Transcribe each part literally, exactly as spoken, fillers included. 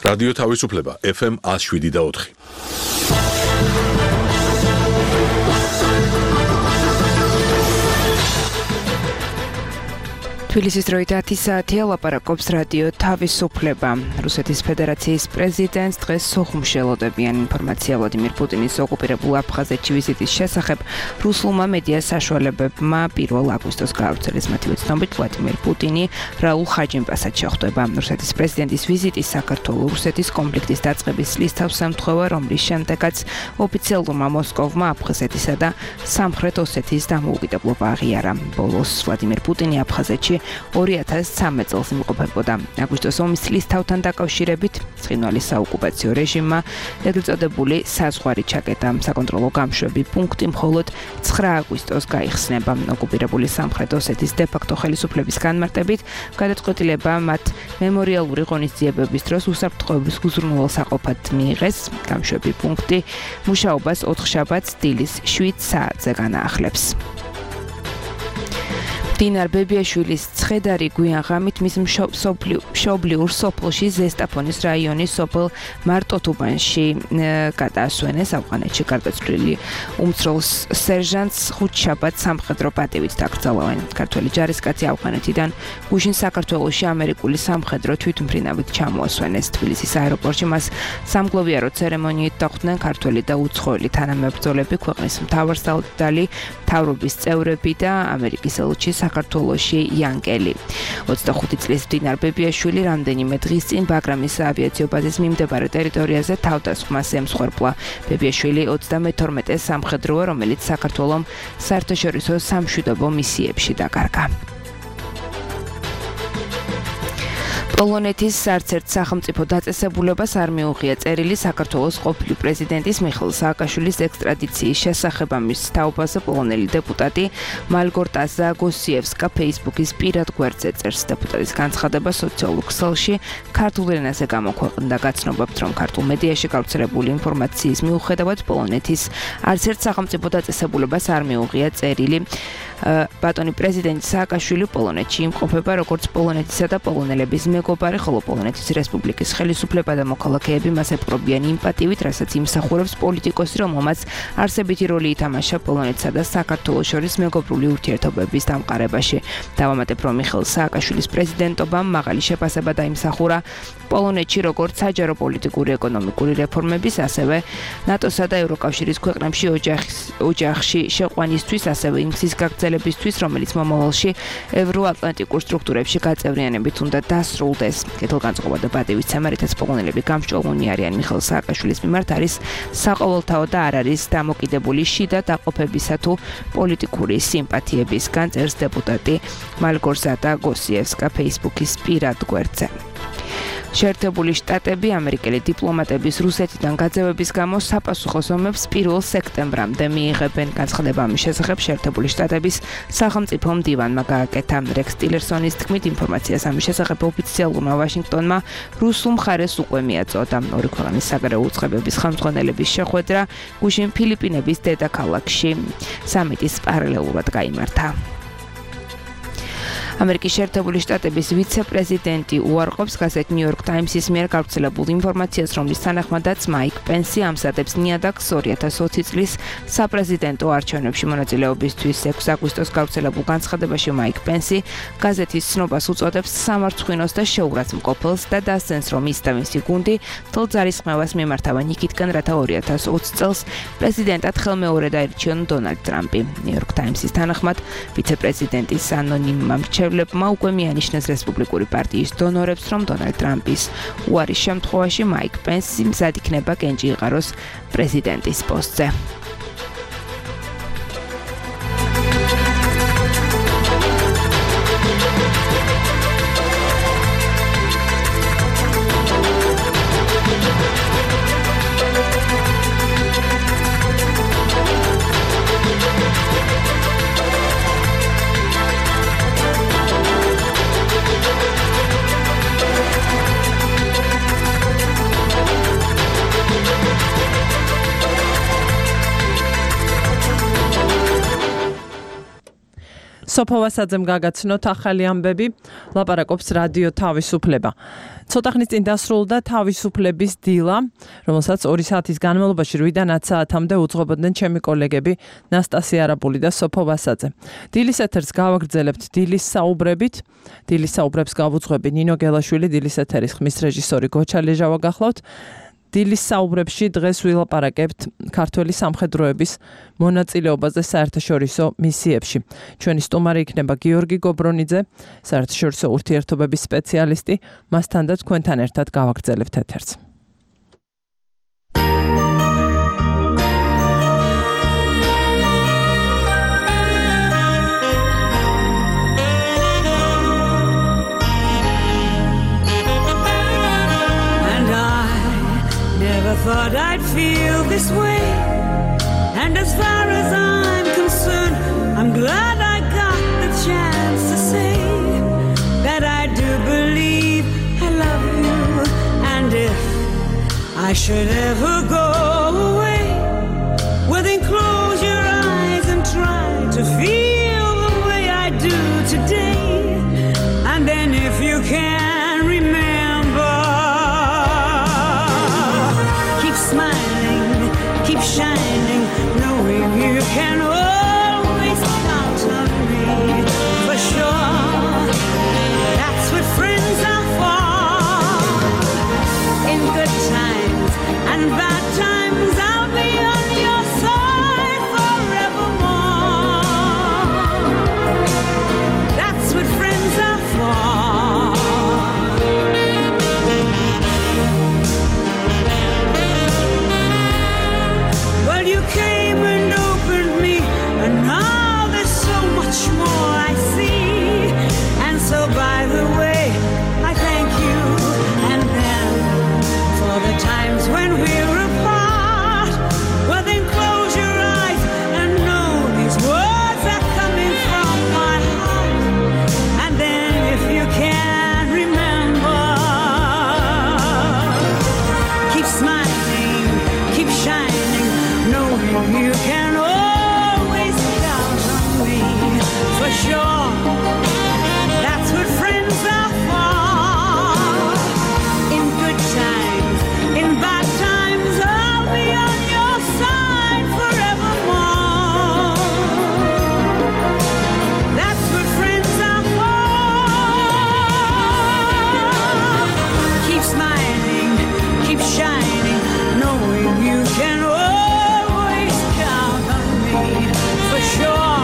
რადიო თავისუფლება ეფ ემ one oh seven და four. თბილისის დროით ათი საათია, ლაპარაკობს რადიო თავისუფლება. რუსეთის ფედერაციის პრეზიდენტს დღეს სოხუმში ელოდებიან ინფორმაცია ვლადიმერ პუტინის ოკუპირებულ აფხაზეთში ვიზიტის შესახებ. რუსულმა მედია საშუალებებმა პირველ აგვისტოს გაავრცელეს. მათივე ცნობით, ვლადიმერ პუტინი რაულ ხაჯიმპასად შეხვდება. რუსეთის პრეზიდენტის ვიზიტის საქართველო-რუსეთის კონფლიქტის დაწყების წლის თავს ემთხვევა, რომლის შემდეგაც ოფიციალურმა მოსკოვმა აფხაზეთისა და სამხრეთ ოსეთის დამოუკიდებლობა აღიარა. ბოლოს ვლადიმერ პუტინი აფხაზეთში ორი ათას ცხრამეტ წელს იმყოფებოდა. აგვისტოს ომის წლის თავთან დაკავშირებით ცხინვალის საოკუპაციო რეჟიმმა ეგრეთ წოდებული საზღვარი ჩაკეტა. საკონტროლო გამშვები პუნქტი მხოლოდ ცხრა აგვისტოს გაიხსნება. ოკუპირებული სამხრეთ ოსეთის დე-ფაქტო ხელისუფლების განმარტებით გადაწყვეტილება მათ მემორიალური ღონისძიებების დროს უსაფრთხოების უზრუნველსაყოფად მიიღეს. გამშვები პუნქტი მუშაობას ოთხშაბათს დილის შვიდ საათზე განაახლებს. დინარ ბებიაშვილის ცხედარი გვიან ღამით მის მშობლიურ სოფელში ზესტაფონის რაიონის სოფელ მარტოთუბანში გადაასვენეს. ავღანეთში გარდაცვლილი უმცროს სერჟანტს ხუთშაბათს სამხედრო პატივით დაკრძალავენ. ქართველი ჯარისკაცი ავღანეთიდან გუშინ საქართველოში ამერიკული სამხედრო თვითმფრინავით ჩამოასვენეს. თბილისის აეროპორტში მას სამგლოვიარო ცერემონიით დახვდნენ ქართველი და უცხოელი თანამებრძოლები, ქვეყნის მთავარსარდალი, მთავრობის წევრები და ამერიკის ელჩი საქართველოში იანკელი. ოცდახუთი წლის დინარ ბებიაშვილი რამდენიმე დღის წინ ბაგრამის საავიაციო ბაზის მიმდებარე ტერიტორიაზე თავდასხმას ემსხვერპლა. ბებიაშვილი ოცდამეთორმეტე სამხედროა, რომელიც საქართველომ საერთაშორისო სამშვიდობო მისიებში დაკარგა. პოლონეთის არც ერთ სახელმწიფო დაწესებულებას არ მიუღია წერილი საქართველოს ყოფილი პრეზიდენტის მიხეილ სააკაშვილის ექსტრადიციის შესახებ. ამის თაობაზე პოლონელი დეპუტატი მალგორტაზა გოსიევსკა ფეისბუქის პირად გვერდზე წერს. დეპუტატის განცხადება სოციალურ ქსელში ქართულ ენაზე გამოქვეყნდა. გაცნობებთ, რომ ქართულ მედიაში გავრცელებული ინფორმაციის მიუხედავად პოლონეთის არც ერთ სახელმწიფო დაწესებულებას არ მიუღია წერილი. ბატონი პრეზიდენტი სააკაშვილი პოლონეთში იმყოფება როგორც პოლონეთისა და პოლონელების მეგობარი, ხოლო პოლონეთის რესპუბლიკის ხელისუფლება და მოქალაქეები მას ეპყრობიან იმ პატივით, რასაც იმსახურებს პოლიტიკოსი, რომელმაც არსებითი როლი ითამაშა პოლონეთსა და საქართველოს შორის მეგობრული ურთიერთობების დამყარებაში. დავამატებ, რომ მიხეილ სააკაშვილის პრეზიდენტობამ მაღალი შეფასება დაიმსახურა პოლონეთში როგორც საჯარო პოლიტიკური ეკონომიკური რეფორმების, ასევე ნატოსა და ევროკავშირის ქვეყნებში ოჯახში შეყვანისთვის, ასევე იმ გზის გაგრძელებისთვის, რომელიც მომავალში ევროატლანტიკურ სტრუქტურებში გაწევრიანებით უნდა დასრულდეს. კეთილგანწყობა და პატივისცემა, რითაც პოლონელები გამსჭვალნი არიან მიხეილ სააკაშვილის მიმართ, არის საყოველთაო და არ არის დამოკიდებული შიდა დაყოფებისა თუ პოლიტიკური სიმპათიებისგან, წერს დეპუტატი მალგორზატა გოსიევსკა ფეისბუქის პირად გვერდზე. შეერთებული შტატები ამერიკელი დიპლომატების რუსეთიდან გაძევების გამო საპასუხოს ომებს პირველ სექტემბრამდე მიიღებენ. განცხადება ამის შესახებ შეერთებული შტატების სახელმწიფო მდივანმა გააკეთა. რექს ტილერსონის თქმით, ინფორმაციას ამის შესახებ ოფიციალურმა ვაშინგტონმა რუსულ მხარეს უკვე მიაწოდა. ორი ქვეყნის საგარეო უწყებების ხელმძღვანელების შეხვედრა გუშინ ფილიპინების დედაქალაქში სამიტის პარალელურად გაიმართა. ამერიკის შეერთებული შტატების ვიცე-პრეზიდენტი უარყოფს გაზეთ New York Times-ის მიერ გავრცელებულ ინფორმაციას, რომლის თანახმადაც მაიკ პენსი ამზადებს ნიადაგს ორი ათას ოცი წლის საპრეზიდენტო არჩევნებში მონაწილეობისთვის. ექვსი აგვისტოს გავრცელებულ განცხადებაში მაიკ პენსი გაზეთის ცნობას უწოდებს სამარცხვინოს და შეურაცხმყოფელს და დასცენს, რომ ის და მისი გუნდი მთელ ძალისხმევას მიმართავენ იქითკენ, რათა ორი ათას ოცი წელს პრეზიდენტად ხელმეორედ აირჩიონ დონალდ ტრამპი. New York Times-ის თანახმად ვიცე-პრეზიდენტის ანონიმმა მრჩევლებმა უკვე მიანიშნეს რესპუბლიკური პარტიის დონორებს, რომ დონალდ ტრამპის უარის შემთხვევაში მაიკ პენსი მზად იქნება კენჭი იყაროს პრეზიდენტის პოსტზე. სოფო ვასაძემ გაგაცნოთ ახალი ამბები, ლაპარაკობს რადიო თავისუფლება. ცოტა ხნის წინ დასრულდა თავისუფლების დილა, რომელსაც ორი საათის განმავლობაში რვიდან ათ საათამდე უძღვებოდნენ ჩემი კოლეგები ნასტასია არაბული და სოფო ვასაძე. დილის ეთერს გავაგრძელებთ დილის საუბრებით. დილის საუბრებს გავუძღვები ნინო გელაშვილი, დილის ეთერის ხმის რეჟისორი გოჩა ლეჟავა გახლავთ. დილის საუბრებში დღეს ვილაპარაკებთ ქართველი სამხედროების მონაწილეობაზე საერთაშორისო მისიებში. ჩვენი სტუმარი იქნება გიორგი გობრონიძე, საერთაშორისო ურთიერთობების სპეციალისტი, მასთან და თქვენთან ერთად გავაგრძელებთ ეთერს. Thought I'd feel this way, and as far as I'm concerned, I'm glad I got the chance to say that I do believe I love you, and if I should ever go away, well then close your eyes and try to feel the way I do today, and then if you can remember, smiling, keep shining, knowing you can always count on me, for sure, that's what friends are for. In good times and bad times, I'll be on your side forevermore. That's what friends are for. You came and opened me, and now there's so much more I see. And so by the way, I thank you, and then for the times when we're apart, well then close your eyes and know these words are coming from my heart. And then if you can remember, keep smiling, keep shining, knowing you can always count on me, for sure, that's what friends are for. In good times, in bad times, I'll be on your side forevermore. That's what friends are for. Keep smiling, keep shining, knowing you can always count on me, for sure,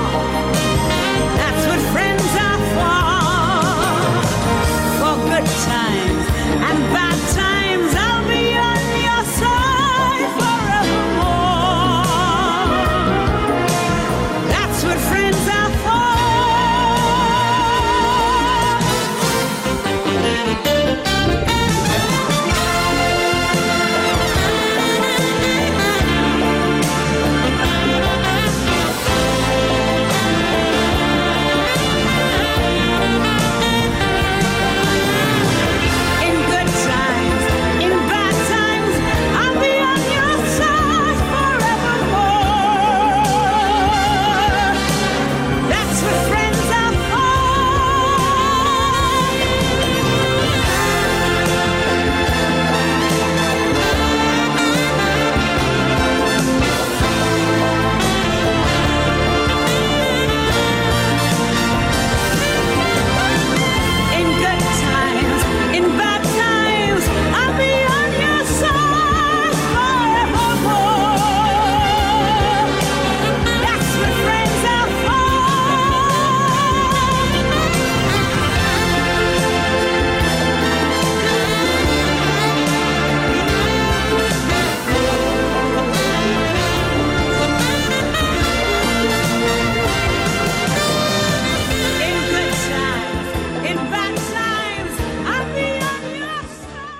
that's what friends are for. For good times and bad times, I'll be on your side forevermore. That's what friends are for. In good times, in bad times, I'll be on your side forevermore. That's what friends are for. In good times, in bad times, I'll be on your side forevermore. That's what friends are for. In good times, in bad times, I'll be on your side.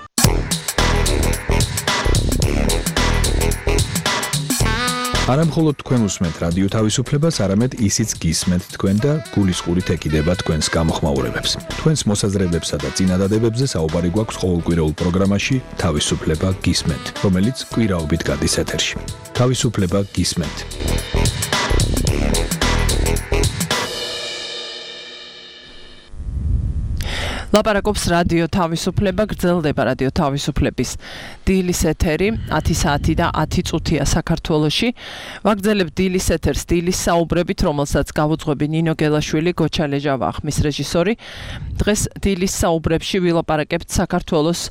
არა მხოლოდ თქვენ უსმენთ რადიო თავისუფლებას, არამედ ისიც გისმენთ თქვენ და გულისყურით ეკიდება თქვენს გამოხმაურებებს. თქვენს მოსაზრებებსა და წინადადებებზე საუბარი გვაქვს ყოველკვირეულ პროგრამაში თავისუფლება გისმენთ, რომელიც კვირაობით გადის ეთერში. თავისუფლება გისმენთ. ლაპარაკობს რადიო თავისუფლება, გრძელდება რადიო თავისუფლების დილის ეთერი, ათი საათი და ათი წუთია საქართველოში. ვაგრძელებთ დილის ეთერს დილის საუბრებით, რომელსაც გავუძღვები ნინო გელაშვილი, გოჩა ლეჟავა, ხმის რეჟისორი. დღეს დილის საუბრებში ვილაპარაკებთ საქართველოს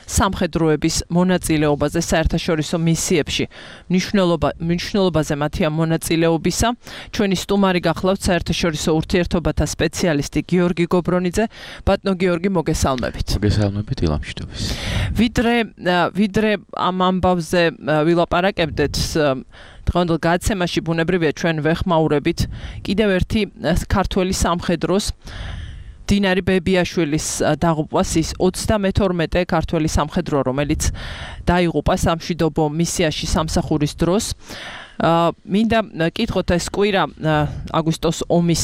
სამხედროების მონაწილეობაზე საერთაშორისო მისიებში. მნიშვნელობა მნიშვნელობაზე მათი მონაწილეობისა. ჩვენი სტუმარი გახლავთ საერთაშორისო ურთიერთობათა სპეციალისტი გიორგი გობრონიძე. ბატონო გიორგი, მოგესალმებით. მოგესალმებით, ილამშიტობის. ვიდრე ვიდრე ამ ამბავზე ვილაპარაკებდეთ, დღევანდელ გადაცემაში ბუნებრივია ჩვენ ვეხმაურებით კიდევ ერთი ქართველი სამხედროს დინარი ბებიაშვილის დაღუპვას, ის ოცდამეთორმეტე ქართველი სამხედრო, რომელიც დაიღუპა სამშვიდობო მისიაში სამსახურის დროს. მინდა კითხოთ, ეს კვირა აგვისტოს ომის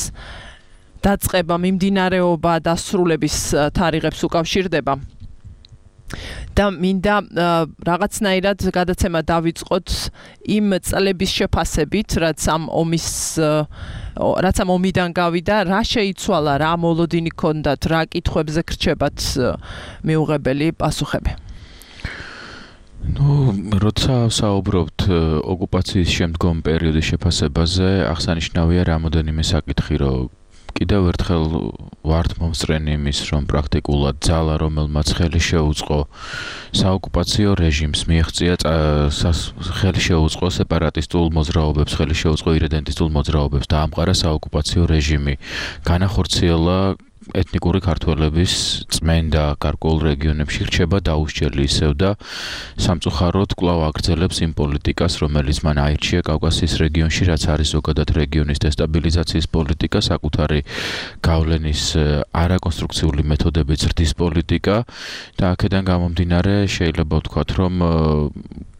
დაწყება, მიმდინარეობა, დასრულების თარიღებს უკავშირდება. და მინდა რაღაცნაირად გადაცემა დავიწყოთ იმ წლების შეფასებით, რაც ამ ომის რაც ამ ომიდან გავიდა, რა შეიცვალა, რა მოლოდინი ჰქონდათ, რა კითხვებზე გრჩებათ მიუღებელი პასუხები. ნუ, როცა საუბრობთ ოკუპაციის შემდგომ პერიოდის შეფასებაზე, აღსანიშნავია რამოდენიმე საკითხი, რომ კიდევ ერთხელ ვართ მომსწრენი იმის, რომ პრაქტიკულად ძალა, რომელმაც ხელი შეუწყო საოკუპაციო რეჟიმს, მიაღწია ხელი შეუწყო სეპარატისტულ მოძრაობებს, ხელი შეუწყო ირედენტისტულ მოძრაობებს, დაამყარა საოკუპაციო რეჟიმი, განახორციელა ეთნიკური ქართველების წმენდა გარკვეულ რეგიონებში რჩება დაუსჯელი ისევ და სამწუხაროდ კვლავ აგრძელებს იმ პოლიტიკას, რომელიც მან აირჩია კავკასიის რეგიონში, რაც არის ზოგადად რეგიონის დესტაბილიზაციის პოლიტიკა, საკუთარი გავლენის არაკონსტრუქციული მეთოდებით ზრდის პოლიტიკა და აქედან გამომდინარე შეიძლება ვთქვათ, რომ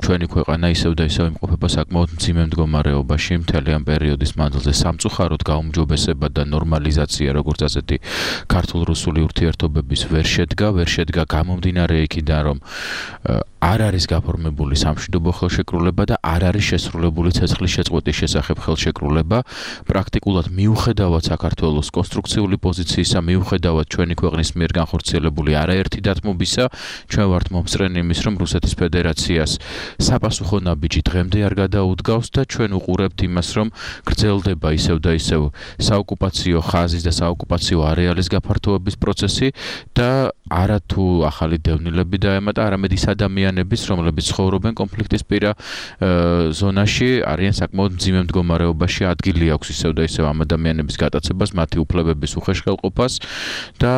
ჩვენი ქვეყანა ისევ და ისევ იმყოფება საკმაოდ მძიმე მდგომარეობაში მთელი ამ პერიოდის მანძილზე. სამწუხაროდ გაუმჯობესება და ნორმალიზაცია, როგორც ასეთი ქართულ-რუსული ურთიერთობების ვერ შედგა, ვერ შედგა გამომდინარე იქიდან, რომ არ არის გაფორმებული სამშვიდობო ხელშეკრულება და არ არის შესრულებული ცეცხლის შეწყვეტის შესახებ ხელშეკრულება. პრაქტიკულად მიუხედავად საქართველოს კონსტრუქციული პოზიციისა, მიუხედავად ჩვენი ქვეყნის მიერ განხორციელებული არაერთი დათმობისა, ჩვენ ვართ მომსწრენი იმის, რომ რუსეთის ფედერაციას საპასუხო ნაბიჯი დღემდე არ გადაუდგავს და ჩვენ უყურებთ იმას, რომ გრძელდება ისევ და ისევ საოკუპაციო ხაზის და საოკუპაციო არეალის გაფართოების პროცესი და არა თუ ახალი დევნილები დაემატა, არამედ ის ადამიანების, რომლებიც ცხოვრობენ კონფლიქტის პირა ზონაში, არიან საკმაოდ მძიმე მდგომარეობაში, ადგილი აქვს ისევ და ისევ ამ ადამიანების გატაცებას, მათი უფლებების უხეშხელყოფას და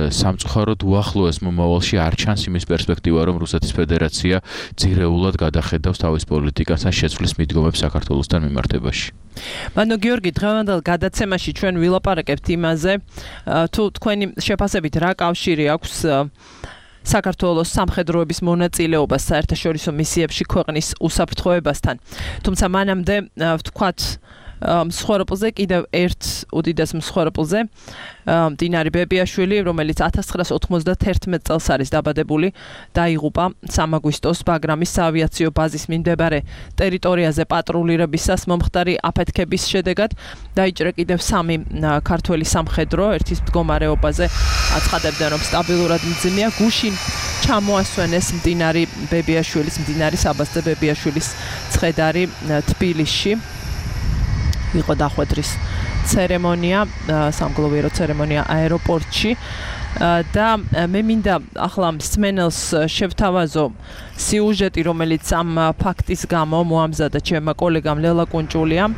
სამწუხაროდ უახლოეს მომავალში არ ჩანს იმის პერსპექტივა, რომ რუსეთის ფედერაცია ძირეულად გადახედავს თავის პოლიტიკას ან შეცვლის მიდგომებს საქართველოსთან მიმართებაში. ბატონო გიორგი, დღევანდელ გადაცემაში ჩვენ ვილაპარაკებთ იმაზე, თუ თქვენი შეფასებით რა კავშირი აქვს საქართველოს სამხედროების მონაწილეობას საერთაშორისო მისიებში ქვეყნის უსაფრთხოებასთან. თუმცა მანამდე ვთქვათ მსხვერპლზე, კიდევ ერთ უდიდეს მსხვერპლზე, დინარი ბებიაშვილი, რომელიც ათას ცხრაას ოცდაათერთმეტ წელს არის დაბადებული, დაიღუპა სამ აგვისტოს ბაგრამის საავიაციო ბაზის მიმდებარე ტერიტორიაზე პატრულირებისას მომხდარი აფეთქების შედეგად. დაიჭრა კიდევ სამი ქართველი სამხედრო, ერთის მდგომარეობაზე აცხადებდნენ, რომ სტაბილურად მძიმეა. გუშინ ჩამოასვენეს დინარი ბებიაშვილის, დინარი საბასძე ბებიაშვილის ცხედარი თბილისში. იყო დახვედრის ცერემონია, სამგლოვიარო ცერემონია აეროპორტში და მე მინდა ახლა მსმენელს შევთავაზო სიუჟეტი, რომელიც ამ ფაქტის გამო მოამზადა ჩემმა კოლეგამ ლელა კუნჭულიამ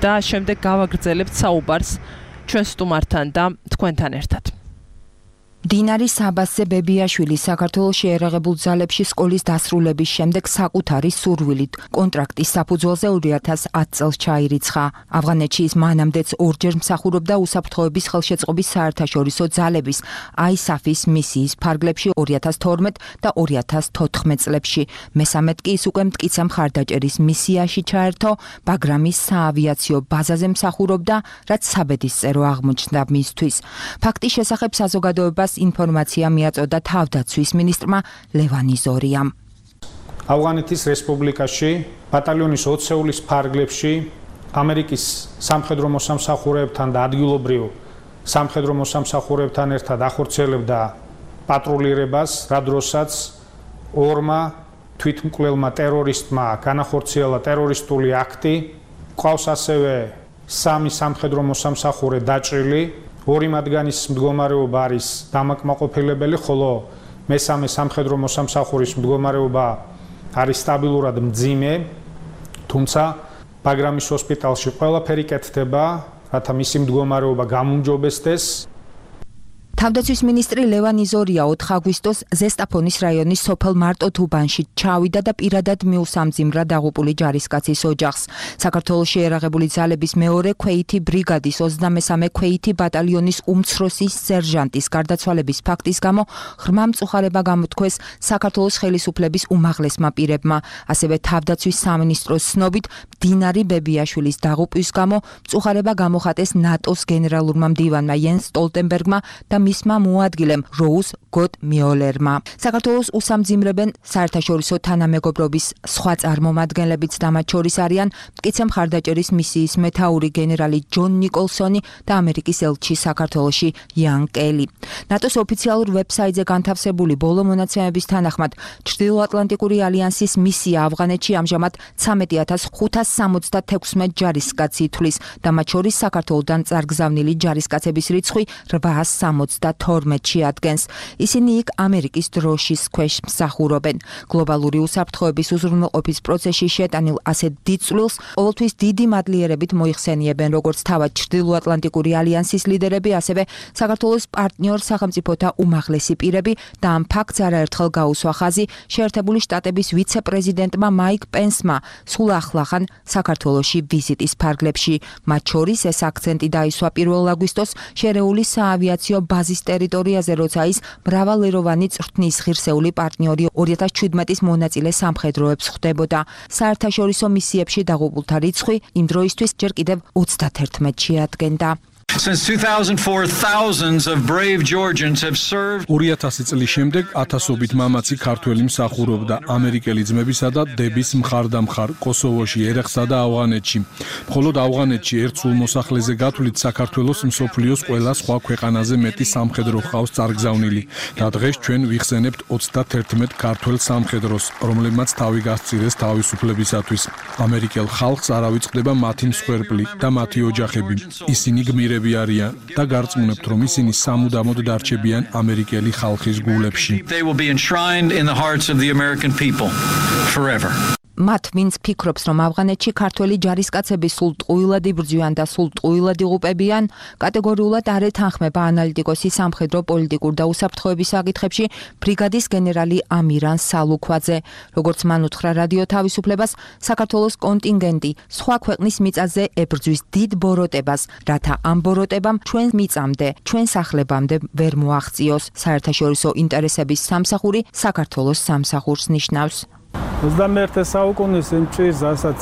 და შემდეგ გავაგრძელებთ საუბარს ჩვენ სტუმართან და თქვენთან ერთად. დინარი საბასძე ბებიაშვილი საქართველოს შეერაღებულ ძალებში სკოლის დასრულების შემდეგ საკუთარი სურვილით კონტრაქტის საფუძველზე ორი ათას ათ წელს ჩაირიცხა. ავღანეთში ის მანამდეც ორჯერ მსახურობდა უსაფრთხოების ხელშეწყობის საერთაშორისო ძალების აისაფის მისიის ფარგლებში ორი ათას თორმეტ და ორი ათას თოთხმეტ წლებში. მესამედ კი ის უკვე მტკიცე მხარდაჭერის მისიაში ჩაერთო, ბაგრამის საავიაციო ბაზაზე მსახურობდა, რაც საბედისწერო აღმოჩნდა მისთვის. ფაქტის შესახებ საზოგადოებას ინფორმაცია მიაწოდა თავდაცვის მინისტრმა ლევან იზორიამ. ავღანეთის რესპუბლიკაში ბატალიონის ოცეულის ფარგლებში ამერიკის სამხედრო მოსამსახურეებთან და ადგილობრივ სამხედრო მოსამსახურებთან ერთად ახორციელებდა პატრულირებას, რა დროსაც ორმა თვითმკვლელმა ტერორისტმა განახორციელა ტერორისტული აქტი, ყავს ასევე სამი სამხედრო მოსამსახურე დაჭრილი, ორი მათგანის მდგომარეობა არის დამაკმაყოფილებელი, ხოლო მესამე სამხედრო მოსამსახურის მდგომარეობა არის სტაბილურად მძიმე, თუმცა ბაგრამის ჰოსპიტალში ყველაფერი კეთდება, რათა მისი მდგომარეობა გამუმჯობესდეს. თავდაცვის მინისტრი ლევან იზორია ოთხ აგვისტოს ზესტაფონის რაიონის სოფელ მარტოთუბანში ჩავიდა და პირადად მიუსამძიმრა დაღუპული ჯარისკაცის ოჯახს. საქართველოს შეერაღებული ძალების მეორე ქვეითი ბრიგადის ოცდამესამე ქვეითი ბატალიონის უმცროსი სერჟანტის გარდაცვალების ფაქტის გამო ღრმა მწუხარება გამოთქვეს საქართველოს ხელისუფლების უმაღლესმა პირებმა. ასევე თავდაცვის სამინისტროს ცნობით მდინარი ბებიაშვილის დაღუპვის გამო მწუხარება გამოხატეს ნატოს გენერალურმა მდივანმა იენს სტოლტენბერგმა და მისმა მოადგილემ როუზ გოდ მიოლერმა. საქართველოს უსამძიმრებენ საერთაშორისო თანამეგობრობის სხვა წარმომადგენლებიც და მათ შორის არიან მტკიცე მხარდაჭერის მისიის მეთაური გენერალი ჯონ ნიკოლსონი და ამერიკის ელჩი საქართველოში იან კელი. ნატოს ოფიციალურ ვებსაიტზე განთავსებული ბოლო მონაცემების თანახმად ჩრდილოატლანტიკური ალიანსის მისია ავღანეთში ამჟამად ცამეტი ათას ხუთას სამოცდათექვსმეტ ჯარისკაცს ითვლის და მათ შორის საქართველოდან წარგზავნილი ჯარისკაცების რიცხვი რვაას სამოცდათორმეტში ადგენს. ისინი იქ ამერიკის დროშის ქვეშ მსახურობენ. გლობალური უსაფრთხოების უზრუნველყოფის პროცესში შეტანილ ასეთ დიდ წვლილს ყოველთვის დიდი მადლიერებით მოიხსენიებენ როგორც თავად ჩრდილოატლანტიკური ალიანსის ლიდერები, ასევე საქართველოს პარტნიორ სახელმწიფოთა უმაღლესი პირები და ამ ფაქტს არაერთხელ გაუსვა ხაზი შეერთებული შტატების ვიცე-პრეზიდენტმა მაიკ პენსმა სულ ახლახან საქართველოში ვიზიტის ფარგლებში. მათ შორის ეს აქცენტი დაისვა პირველ აგვისტოს შერეული საავიაციო ბაზის ტერიტორიაზე, როცა ის მრავალეროვანი წვრთნის ღირსეული პარტნიორი ორი ათას ჩვიდმეტის მონაწილე სამხედროებს ხვდებოდა. საერთაშორისო მისიებში დაღუპულთა რიცხვი იმ დროისთვის ჯერ კიდევ ოცდათერთმეტში ადგენდა. Since two thousand four, thousands of brave Georgians have served. ორი ათასი წლის შემდეგ ათასობით მამაცი ქართველი მსახურობდა ამერიკელი ძმებისა და დების მხარდამხარ კოსოვოში, ერეხსა და ავღანეთში. მხოლოდ ავღანეთში ერთ სულ მოსახლეზე გათვლით საქართველოს მსოფლიოს ყველა სხვა ქვეყანაზე მეტი სამხედრო ჰყავს წარგზავნილი და დღეს ჩვენ ვიხსენებთ ოცდათერთმეტ ქართველ სამხედროს, რომლებმაც თავი გასწირეს თავისუფლებისათვის. ამერიკელ ხალხს არ ავიწყდება მათი მსხვერპლი და მათი ოჯახები. ისინი გმირები არიან და გარწმუნებთ, რომ ისინი სამუდამოდ დარჩებიან ამერიკელი ხალხის გულებში. They will be enshrined in the hearts of the American people forever. მათ ვინც ფიქრობს, რომ ავღანეთში ქართველი ჯარისკაცები სულ ტყუილად იბრძვიან და სულ ტყუილად იღუპებიან, კატეგორიულად არ ეთანხმება ანალიტიკოსი სამხედრო პოლიტიკურ და უსაფრთხოების საკითხებში ბრიგადის გენერალი ამირან სალუქვაძე. როგორც მან უთხრა რადიო თავისუფლებას, საქართველოს კონტინგენტი სხვა ქვეყნის მიწაზე ებრძვის დიდ ბოროტებას, რათა ამ ბოროტებამ ჩვენ მიწამდე, ჩვენ სახლებამდე ვერ მოაღწიოს. საერთაშორისო ინტერესების სამსახური საქართველოს სამსახურს ნიშნავს. ოცდამეერთე საუკუნის იმჭირს, რასაც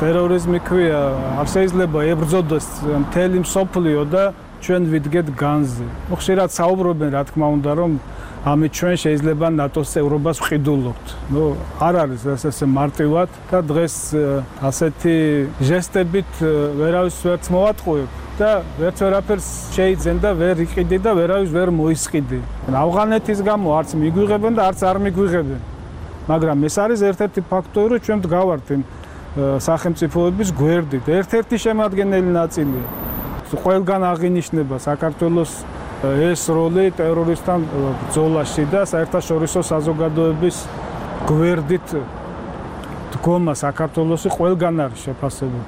ტერორიზმი ქვია, არ შეიძლება ებრძოდოს მთელი მსოფლიო და ჩვენ ვიდგეთ განზე. ხშირად საუბრობენ, რა თქმა უნდა, რომ ამით ჩვენ შეიძლება ნატოს წევრობას ვყიდულობთ. ნუ არ არის ესე მარტივად და დღეს ასეთი ჟესტებით ვერავის ვერც მოვატყუებ და ვერც ვერაფერს შეიძენ და ვერ იყიდი და ვერავის ვერ მოისყიდი. ავღანეთის გამო არც მიგვიღებენ და არც არ მიგვიღებენ. მაგრამ ეს არის ერთ-ერთი ფაქტორი, რომ ჩვენ ვდგავართ იმ სახელმწიფოების გვერდით. ერთ-ერთი შემადგენელი ნაწილია. ყველგან აღინიშნება საქართველოს ეს როლი ტერორისტთან ბრძოლაში და საერთაშორისო საზოგადოების გვერდით დგომა საქართველოსი ყველგან არის შეფასებული.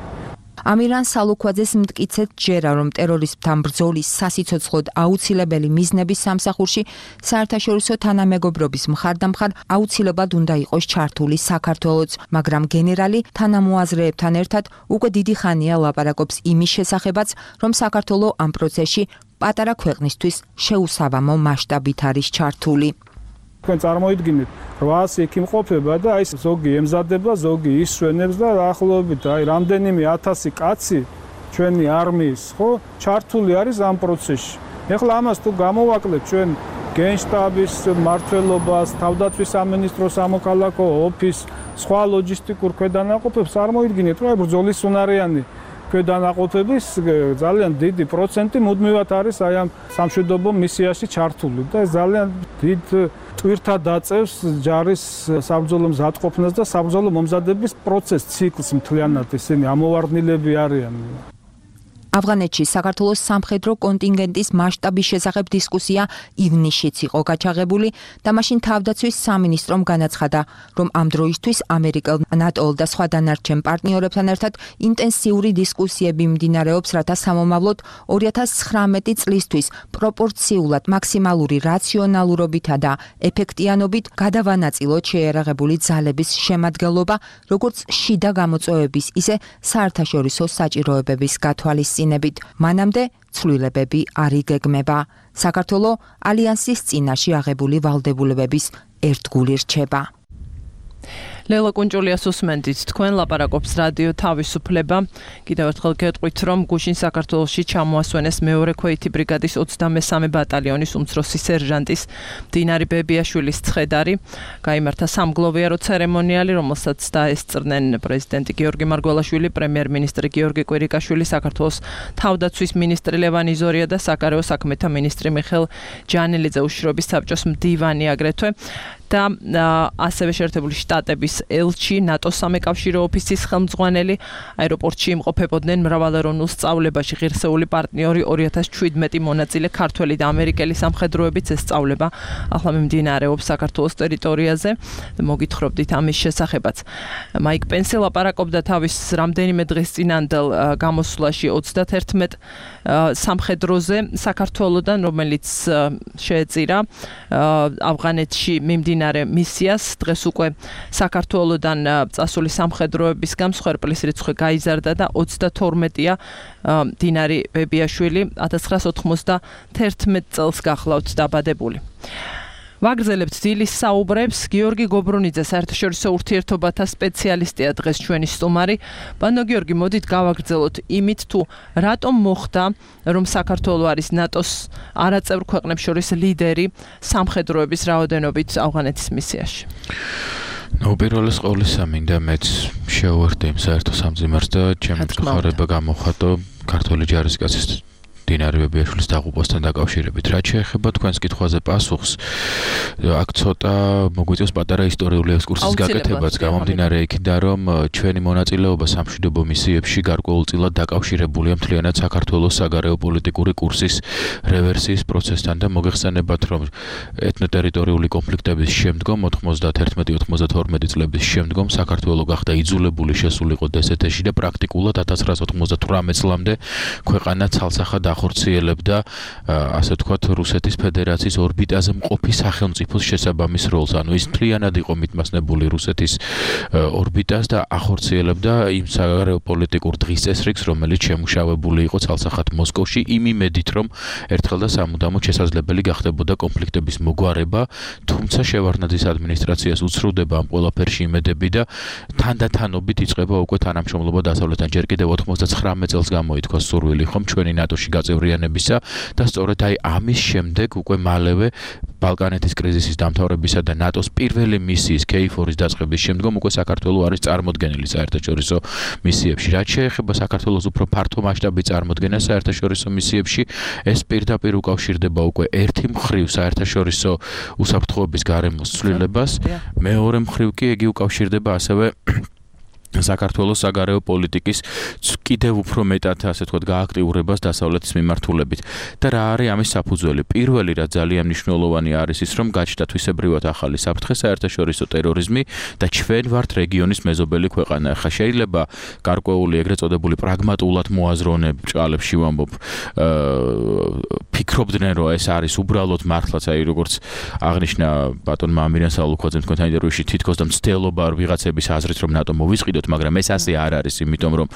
ამირან სალუქვაძეს მტკიცედ ჯერა, რომ ტერორიზმთან ბრძოლის სასიცოცხლოდ აუცილებელი მიზნების სამსახურში საერთაშორისო თანამეგობრობის მხარდამხარ აუცილებლად უნდა იყოს ჩართული საქართველოც, მაგრამ გენერალი თანამოაზრეებთან ერთად უკვე დიდი ხანია ლაპარაკობს იმის შესახებაც, რომ საქართველო ამ პროცესში პატარა ქვეყნისთვის შეუსაბამო მასშტაბით არის ჩართული. თქვენ წარმოიდგინეთ, რვაასი იქ იმყოფება და აი ზოგი ემზადება, ზოგი ისვენებს და ახლობით აი რამდენიმე ათასი კაცი ჩვენი არმიის, ხო, ჩართული არის ამ პროცესში. ეხლა ამას თუ გამოვაკლეთ ჩვენ გენშტაბის მმართველობას, თავდაცვის სამინისტროს სამოქალაქო ოფისს, სხვა ლოჯისტიკურ ქვედანაყოფებს, წარმოიდგინეთ, რომ აი ბრძოლის უნარიანი ქვედანაყოფების ძალიან დიდი პროცენტი მუდმივად არის აი ამ სამშვიდობო მისიაში ჩართული და ეს ძალიან დიდ ტვირთად დაწევს ჯარის საბრძოლო მზადყოფნას და საბრძოლო მომზადების პროცესს ციკლს მთლიანად ისინი ამოვარდნილები არიან. ავღანეთში საქართველოს სამხედრო კონტინგენტის მასშტაბის შესახებ დისკუსია ივნისშიც იყო გაჩაღებული და მაშინ თავდაცვის სამინისტრომ განაცხადა, რომ ამ დროისთვის ამერიკელ, ნატო და სხვა დანარჩენ პარტნიორებთან ერთად ინტენსიური დისკუსიები მიმდინარეობს, რათა სამომავლოდ ორი ათას ცხრამეტი წლისთვის პროპორციულად მაქსიმალური რაციონალურობითა და ეფექტიანობით გადავანაწილოთ შეიარაღებული ძალების შემადგენლობა, როგორც შიდა გამოწვევების, ისე საერთაშორისო საჭიროებების გათვალისწინებით. მანამდე ცვლილებები არ იგეგმება. საქართველოს ალიანსის წინაშე აღებული ვალდებულებების ერთგული რჩება. ლელა კუნჭულიას უსმენთ თქვენ ლაპარაკობს რადიო თავისუფლება. კიდევ ერთხელ გეტყვით, რომ გუშინ საქართველოში ჩამოასვენეს მეორე ქვეითი ბრიგადის ოცდამესამე ბატალიონის უმცროსი სერჟანტის მდინარი ბებიაშვილის ცხედარი. გაიმართა სამგლოვიარო ცერემონიალი, რომელსაც დაესწრნენ პრეზიდენტი გიორგი მარგველაშვილი, პრემიერ-მინისტრი გიორგი კვირიკაშვილი, საქართველოს თავდაცვის მინისტრი ლევან იზორია და საგარეო საქმეთა მინისტრი მიხეილ ჯანელიძე, უშიშროების საბჭოს მდივანი აგრეთვე. და ასევე შეერთებული შტატების ელჩი, ნატოს სამეკავშირო ოფისის ხელმძღვანელი, აეროპორტში იმყოფებოდნენ მრავალეროვნულ სწავლებაში ღირსეული პარტნიორი ორი ათას შვიდმეტი მონაწილე ქართველი და ამერიკელი სამხედროებიც ეს სწავლება ახლა მიმდინარეობს საქართველოს ტერიტორიაზე. მოგითხრობდით ამის შესახებაც. მაიკ პენსი ლაპარაკობდა თავის რამდენიმე დღის წინანდელ გამოსვლაში ოცდაათერთმეტ სამხედროზე საქართველოდან, რომელიც შეეწირა ავღანეთში მიმდინარე მისიას. დღეს უკვე საქართველოდან წასული სამხედროების გამსხვერპლის რიცხვი გაიზარდა და ოცდათორმეტია მდინარი ბებიაშვილი ათას ცხრაასა ოცდაათერთმეტ წელს გახლავთ დაბადებული. ვაგრძელებთ დილის საუბრებს. გიორგი გობრუნიძე, საერთაშორისო ურთიერთობათა სპეციალისტია დღეს ჩვენი სტუმარი. ბანო გიორგი, მოდით გავაგრძელოთ იმით, თუ რატომ მოხდა, რომ საქართველო არის ნატოს არაწევრ ქვეყნებს შორის ლიდერი სამხედროების რაოდენობით ავღანეთის მისიაში? ნუ პირველის ყოვლისა მინდა მეც შევერთე იმ საერთო სამძიმარს და ჩემი მხარება გამოხატო ქართული ჯარისკაცის მდინარე ბებიაშვილის დაღუპვასთან დაკავშირებით. რაც შეეხება თქვენს კითხვაზე პასუხს, აქ ცოტა მოგვიწევს პატარა ისტორიული ექსკურსის გაკეთებაც, გამომდინარე იქიდან, რომ ჩვენი მონაწილეობა სამშვიდობო მისიებში გარკვეულწილად დაკავშირებულია მთლიანად საქართველოს საგარეო პოლიტიკური კურსის რევერსიის პროცესთან და მოგეხსენებათ, რომ ეთნოტერიტორიული კონფლიქტების შემდგომ ოთხმოცდაათერთმეტი ოცდათორმეტი წლების შემდგომ საქართველო გახდა იძულებული შესულიყო დსთ-ში და პრაქტიკულად ათას ცხრაასა ოცდათვრამეტ წლამდე ქვეყანა ცალსახად ახორციელებდა ასე ვთქვათ რუსეთის ფედერაციის ორბიტაზე მყოფი სახელმწიფოს შესაბამის როლს. ანუ ის მთლიანად იყო მითმასნებული რუსეთის ორბიტას და ახორციელებდა იმ საგარეო პოლიტიკურ დღის წესრიგს, რომელიც შემუშავებული იყო ცალსახად მოსკოვში, იმ იმედით, რომ ერთხელ და სამუდამოდ შესაძლებელი გახდებოდა კონფლიქტების მოგვარება, თუმცა შევარდნაძის ადმინისტრაციას უცრუდება ამ ყველაფერში იმედები და თანდათანობით იწყება უკვე თანამშრომლობა დასავლეთთან. ჯერ კიდევ ოცდაცხრამეტ წელს გამოითქვა სურვილი ხომ ჩვენი ნატოში გაწევრიანებისა და სწორედ აი ამის შემდეგ უკვე მალევე ბალკანეთის კრიზისის დამთავრებისა და ნატოს პირველი მისიის კეიფორის დაწყების შემდგომ უკვე საქართველო არის წარმოდგენილი საერთაშორისო მისიებში. რაც შეეხება საქართველოს უფრო ფართო მასშტაბის წარმოდგენას საერთაშორისო მისიებში, ეს პირდაპირ უკავშირდება უკვე ერთი მხრივ საერთაშორისო უსაფრთხოების გარემოს ცვლილებას, მეორე მხრივ კი იგი უკავშირდება ასევე საქართველოს საგარეო პოლიტიკის კიდევ უფრო მეტად ასე ვთქვათ გააქტიურებას დასავლეთის მიმართულებით. და რა არის ამის საფუძველი? პირველი რა ძალიან მნიშვნელოვანი არის ის, რომ გაჩნდა თვისებრივად ახალი საფრთხე, საერთაშორისო ტერორიზმი და ჩვენ ვართ რეგიონის მეზობელი ქვეყანა. ხა შეიძლება გარკვეული ეგრეთ წოდებული პრაგმატულად მოაზროვნებ ჭალებში ვამბობ, ფიქრობდნენ რომ ეს არის უბრალოდ მართლაც აი როგორც აღნიშნა ბატონმა ამირიან სალუქვაძემ თქვენთან ინტერვიუში თითქოს და მცდელობა არ ვიღაცების აზრით რომ ნატო მოვისყიდოთ, მაგრამ ეს ასე არ არის, იმიტომ რომ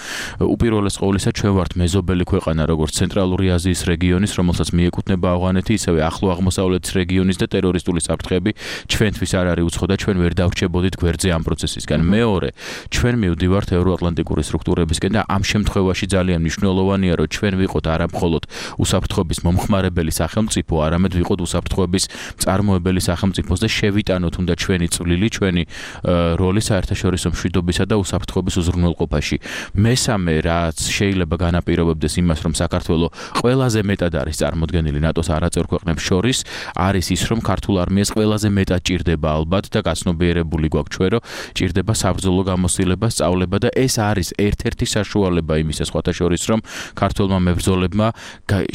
უპირველეს ყოვლისა ჩვენ ვართ მეზობელი ქვეყანა როგორც ცენტრალური აზიის რეგიონის, რომელსაც მიეკუთვნება ავღანეთი, ისევე ახლო აღმოსავლეთის რეგიონის და ტერორისტული საფრთხეები ჩვენთვის არ არის უცხო და ჩვენ ვერ დავრჩებოდით გვერდზე ამ პროცესისგან. მეორე, ჩვენ მივდივართ ევროატლანტიკური სტრუქტურებისკენ და ამ შემთხვევაში ძალიან მნიშვნელოვანია, რომ ჩვენ ვიყოთ არა მხოლოდ უსაფრთხოების მომხმარებელი სახელმწიფო, არამედ ვიყოთ უსაფრთხოების მწარმოებელი სახელმწიფოს და შევიტანოთ უნდა ჩვენი წვლილი, ჩვენი როლი საერთაშორისო მშვიდობისა და უსაფრთხოების უზრუნველყოფაში. მესამე, რაც შეიძლება განაპირობებდეს იმას, რომ საქართველოს ყველაზე მეტად არის წარმოდგენილი ნატოს არაწევრ ქვეყნებს შორის, არის ის, რომ ქართულ არმიას ყველაზე მეტად ჭირდება ალბათ და გაცნობიერებული გვაქვს ჩვენ, რომ ჭირდება საბრძოლო გამოცდილება, სწავლება და ეს არის ერთ-ერთი საშუალება იმისა სხვათა შორის, რომ ქართველმა მებრძოლებმა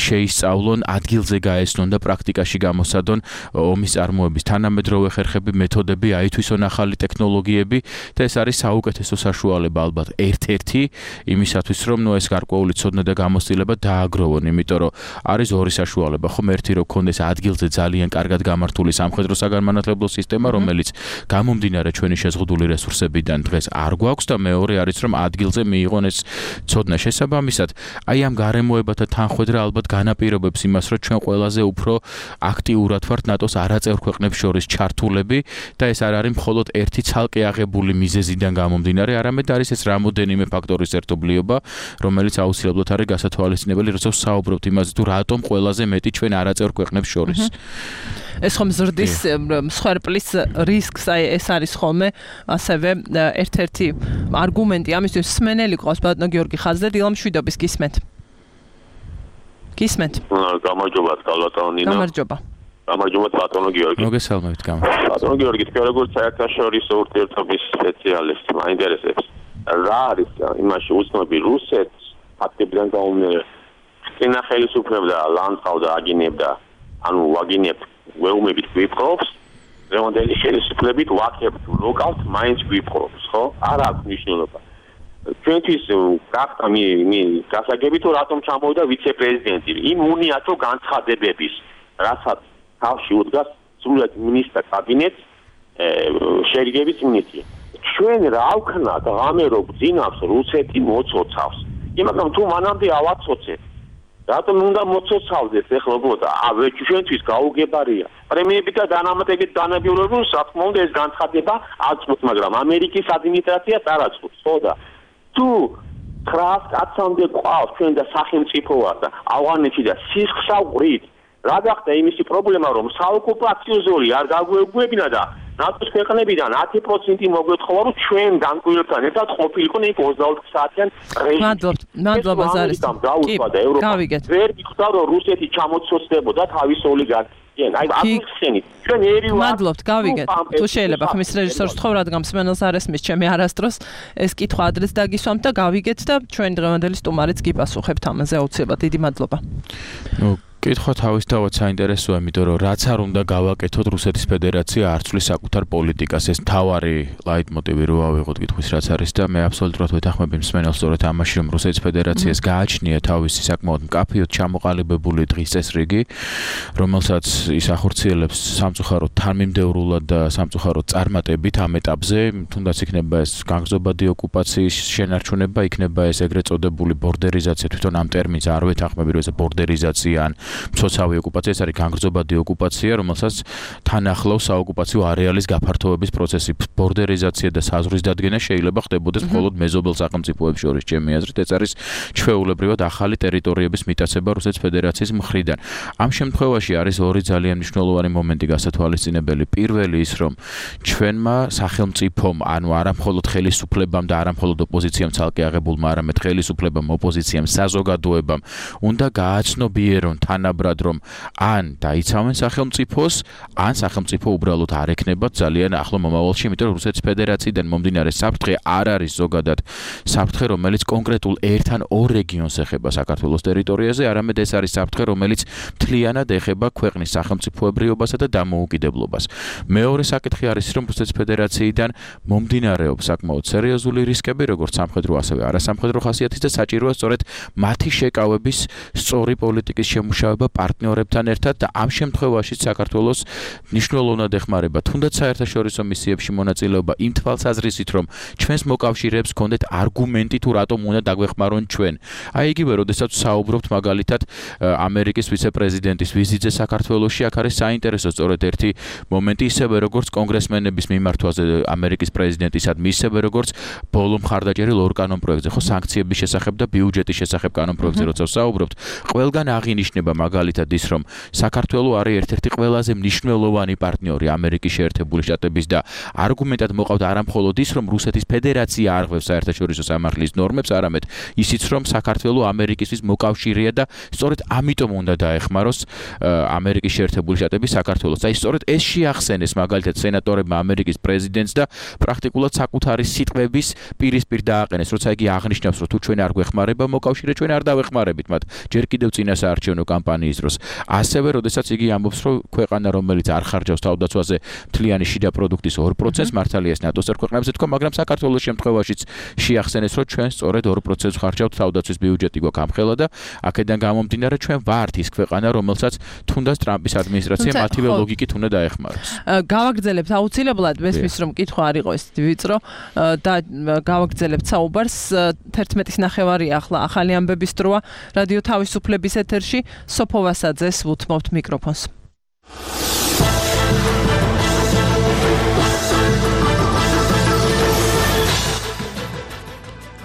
შეისწავლონ, ადგილზე გაესწრონ და პრაქტიკაში გამოსადონ ომის წარმოების თანამედროვე ხერხები, მეთოდები, აითვისონ ახალი ტექნოლოგიები და ეს არის საუკეთესო საშუალება ალბათ ერთ-ერთი იმისათვის, რომ ნუ ეს გარკვეული ცოდნა და გამოცდილება დააგროვონ, იმიტომ რომ არის ორი საშუალება, ხომ ერთი რომ ქონდეს ადგილზე ძალიან კარგად გამართული სამხედრო საგანმანათლებლო სისტემა, რომელიც გამომდინარე ჩვენი შეზღუდული რესურსებიდან დღეს არ გვაქვს და მეორე არის რომ ადგილზე მიიღონ ეს ცოდნა. შესაბამისად, აი ამ გარემოებათა თანხვედრა ალბათ განაპირობებს იმას, რომ ჩვენ ყველაზე უფრო აქტიურად ვართ ნატოს არაწევრ ქვეყნებს შორის ჩართულები და ეს არ არის მხოლოდ ერთი ცალკე აღებული მიზეზიდან გამომდინარე, არამედ არის ეს რამოდენიმე ფაქტორის ერთობლიობა, რომელიც აუცილებლად არის გასათვალისწინებელი, როცა საუბრობთ იმაზე, თუ რატომ ყველაზე მეტი ჩვენ არაწევრ ქვეყნებს შორის. ეს ხომ ზრდის მსხვერპლის რისკს, აი ეს არის ხოლმე ასევე ერთ-ერთი არგუმენტი ამისთვის. სმენელი ყავს ბატონო გიორგი ხაზზე, დილამ შვიდობის გისმენთ. გისმენთ. გამარჯობა ბატონო. გამარჯობა. გამარჯობა ბატონო გიორგი. მოგესალმებით, გამო. ბატონო გიორგი, თქვენ როგორც საერთაშორისო ურთიერთობის სპეციალისტი, მაინტერესებს რა არის იმაში უცნობი რუსეთს ფაქტებიდან გამომდინარე. წინა ხელისუფლება ლანძღავდა, აგინებდა, ანუ ვაგინებთ ვეუმებით გვიპყრობს, დღევანდელი ხელისუფლებით ვაკებთ ლოკალს მაინც გვიპყრობს, ხო? არ აქვს მნიშვნელობა. ჩვენთვის გახდა მი მი გასაგები თუ რატომ ჩამოვიდა ვიცე-პრეზიდენტი იმ უნიათო განცხადებების, რასაც თავში უდგას სრულად მინისტრთა კაბინეტს შერიგების მინისტრი. ჩვენ რა ვქნათ, ღამე რო გძინავს რუსეთი მოცოცავს. იმიტომ თუ მანამდე ავაცოცეთ რატომ უნდა მოცოცავდეს ეხლა უბრალოდ ავე ჩვენთვის გაუგებარია. პრემიები და დანამატებით დანაბიულები რა თქმა უნდა ეს განცხადება აწყობს, მაგრამ ამერიკის ადმინისტრაციას არ აწყობს, ხო და თუ ხრას კაცამდე ყავს ჩვენ და სახელმწიფო ვარ და ავღანეთში და სისხლსაუბრით რა გახდა იმისი პრობლემა რომ საოკუპაციო ზოლი არ გაგვეგვებინა და ნატოს ქვეყნებიდან ათი პროცენტი მოგვეთხოვა რომ ჩვენ განკვირვებთან ერთად ყოფილიყო იქ ოცდაოთხ საათიან რეჟიმი. მადლობთ, მადლობა ზარის. კი, გავიგეთ. ვერ გიხდა რომ რუსეთი ჩამოცოცდებოდა თავის ოლიგარქს. აი, აბსოლუტურად. ჩვენ ერივა. მადლობთ, გავიგეთ. თუ შეიძლება ხმის რეჟისორს თქვა, რადგან მსმენელს არ ესმის ჩემი არასდროს ეს კითხვა ადრეს დაგისვამთ და გავიგეთ და ჩვენ დღევანდელი სტუმარიც გიპასუხებთ ამაზე აუცილებლად. დიდი მადლობა. ნუ კითხვა თავისთავად საინტერესოა, იმიტომ რომ რაც არ უნდა გავაკეთოთ, რუსეთის ფედერაცია არ ცვლის საკუთარ პოლიტიკას. ეს თავარი ლაიტმოტივი რო ავიღოთ კითხვის რაც არის და მე აბსოლუტურად ვეთანხმები მსმენელს სწორედ ამაში, რომ რუსეთის ფედერაციას გააჩნია თავისი საკმაოდ მკაფიოდ ჩამოყალიბებული დღის წესრიგი, რომელსაც ის ახორციელებს სამწუხაროდ თანმიმდევრულად და სამწუხაროდ წარმატებით ამ ეტაპზე, თუნდაც იქნება ეს განგრძობადი ოკუპაციის შენარჩუნება, იქნება ეს ეგრეთ წოდებული ბორდერიზაცია, თვითონ ამ ტერმინს არ ვეთანხმები, რომ ეს ბორდერიზაცია ან მცოცავი ოკუპაცია, ეს არის განგრძობადი ოკუპაცია, რომელსაც თან ახლავს საოკუპაციო არეალის გაფართოების პროცესი. ბორდერიზაცია და საზღვრის დადგენა შეიძლება ხდებოდეს მხოლოდ მეზობელ სახელმწიფოებს შორის, ჩემი აზრით, ეს არის ჩვეულებრივად ახალი ტერიტორიების მიტაცება რუსეთის ფედერაციის მხრიდან. ამ შემთხვევაში არის ორი ძალიან მნიშვნელოვანი მომენტი გასათვალისწინებელი. პირველი ის, რომ ჩვენმა სახელმწიფომ, ანუ არა მხოლოდ ხელისუფლებამ და არა მხოლოდ ოპოზიციამ ცალკე აღებულმა, არამედ ხელისუფლებამ, ოპოზიციამ, საზოგადოებამ უნდა გააცნობიერონ თანაბრად რომ ან დაიცავენ სახელმწიფოს, ან სახელმწიფო უბრალოდ არ ექნებათ ძალიან ახლო მომავალში, იმიტომ რომ რუსეთის ფედერაციიდან მომდინარე საფრთხე არ არის ზოგადად საფრთხე, რომელიც კონკრეტულ ერთ ან ორ რეგიონს ეხება საქართველოს ტერიტორიაზე, არამედ ეს არის საფრთხე, რომელიც მთლიანად ეხება ქვეყნის სახელმწიფოებრიობასა და დამოუკიდებლობას. მეორე საკითხი არის, რომ რუსეთის ფედერაციიდან მომდინარეობს საკმაოდ სერიოზული რისკები, როგორც სამხედრო, ასევე არასამხედრო ხასიათის და საჭიროა სწორედ მათი შეკავების სწორი პოლიტიკის შემუშავება პარტნიორებთან ერთად და ამ შემთხვევაში საქართველოს მნიშვნელოვნად ეხმარება თუნდაც საერთაშორისო მისიებში მონაწილეობა იმ თვალსაზრისით, რომ ჩვენს მოკავშირეებს ჰქონდეთ არგუმენტი თუ რატომ უნდა დაგვეხმარონ ჩვენ. აი იგივე, როდესაც საუბრობთ მაგალითად ამერიკის ვიცე-პრეზიდენტის ვიზიტზე საქართველოში, აქ არის საინტერესო სწორედ ერთი მომენტი, ისევე როგორც კონგრესმენების მიმართვაზე ამერიკის პრეზიდენტისადმი, ისევე როგორც ბოლო მხარდაჭერილ ორ კანონ პროექტზე, ხო, სანქციების შესახებ და ბიუჯეტის შესახებ კანონ პროექტზე, როცა საუბრობთ, ყველგან აღინიშნება მაგალითად ის, რომ საქართველო არის ერთ-ერთი ყველაზე მნიშვნელოვანი პარტნიორი ამერიკის შეერთებული შტატების და არგუმენტად მოყავთ არამხოლოდ ის, რომ რუსეთის ფედერაცია არღვევს საერთაშორისო სამართლის ნორმებს, არამედ ისიც, რომ საქართველო ამერიკისთვის მოკავშირეა და სწორედ ამიტომ უნდა დაეხმაროს ამერიკის შეერთებული შტატები საქართველოს. აი სწორედ ეს შეახსენეს მაგალითად სენატორებმა ამერიკის პრეზიდენტს და პრაქტიკულად საკუთარი სიტყვების პირისპირ დააყენეს, როცა იგი აღნიშნავს, რომ თუ ჩვენ არ გვეხმარება მოკავშირე, ჩვენ არ დავეხმარებით მათ ჯერ კიდევ წინა საარჩევნო კამპანიის დროს. ასევე, როდესაც იგი ამბობს, რომ ქვეყანა, რომელიც არ ხარჯავს თავდაცვაზე მთლიანი შიდა პროდუქტის ორ პროცენტს, მართალია ეს ნატოს ქვეყნებზე თქვა, მაგრამ საქართველოს შემთხვევაშიც შეახსენეს, რომ ჩვენ სწორედ ორ პროცენტს ხარჯავთ თავდაცვის ბიუჯეტი გვაქვს ამხელა და აქედან გამომდინარე ჩვენ ვართ ის ქვეყანა, რომელსაც თუნდაც ტრამპის ადმინისტრაცია მათივე ლოგიკით უნდა დაეხმაროს. გავაგრძელებთ აუცილებლად მესმის რომ კითხვა არ იყო ეს ვიწრო და გავაგრძელებთ საუბარს თერთმეტის ნახევარი ახლა ახალი ამბების დროა რადიო თავისუფლების ეთერში სოფო ვასაძეს უთმობთ მიკროფონს.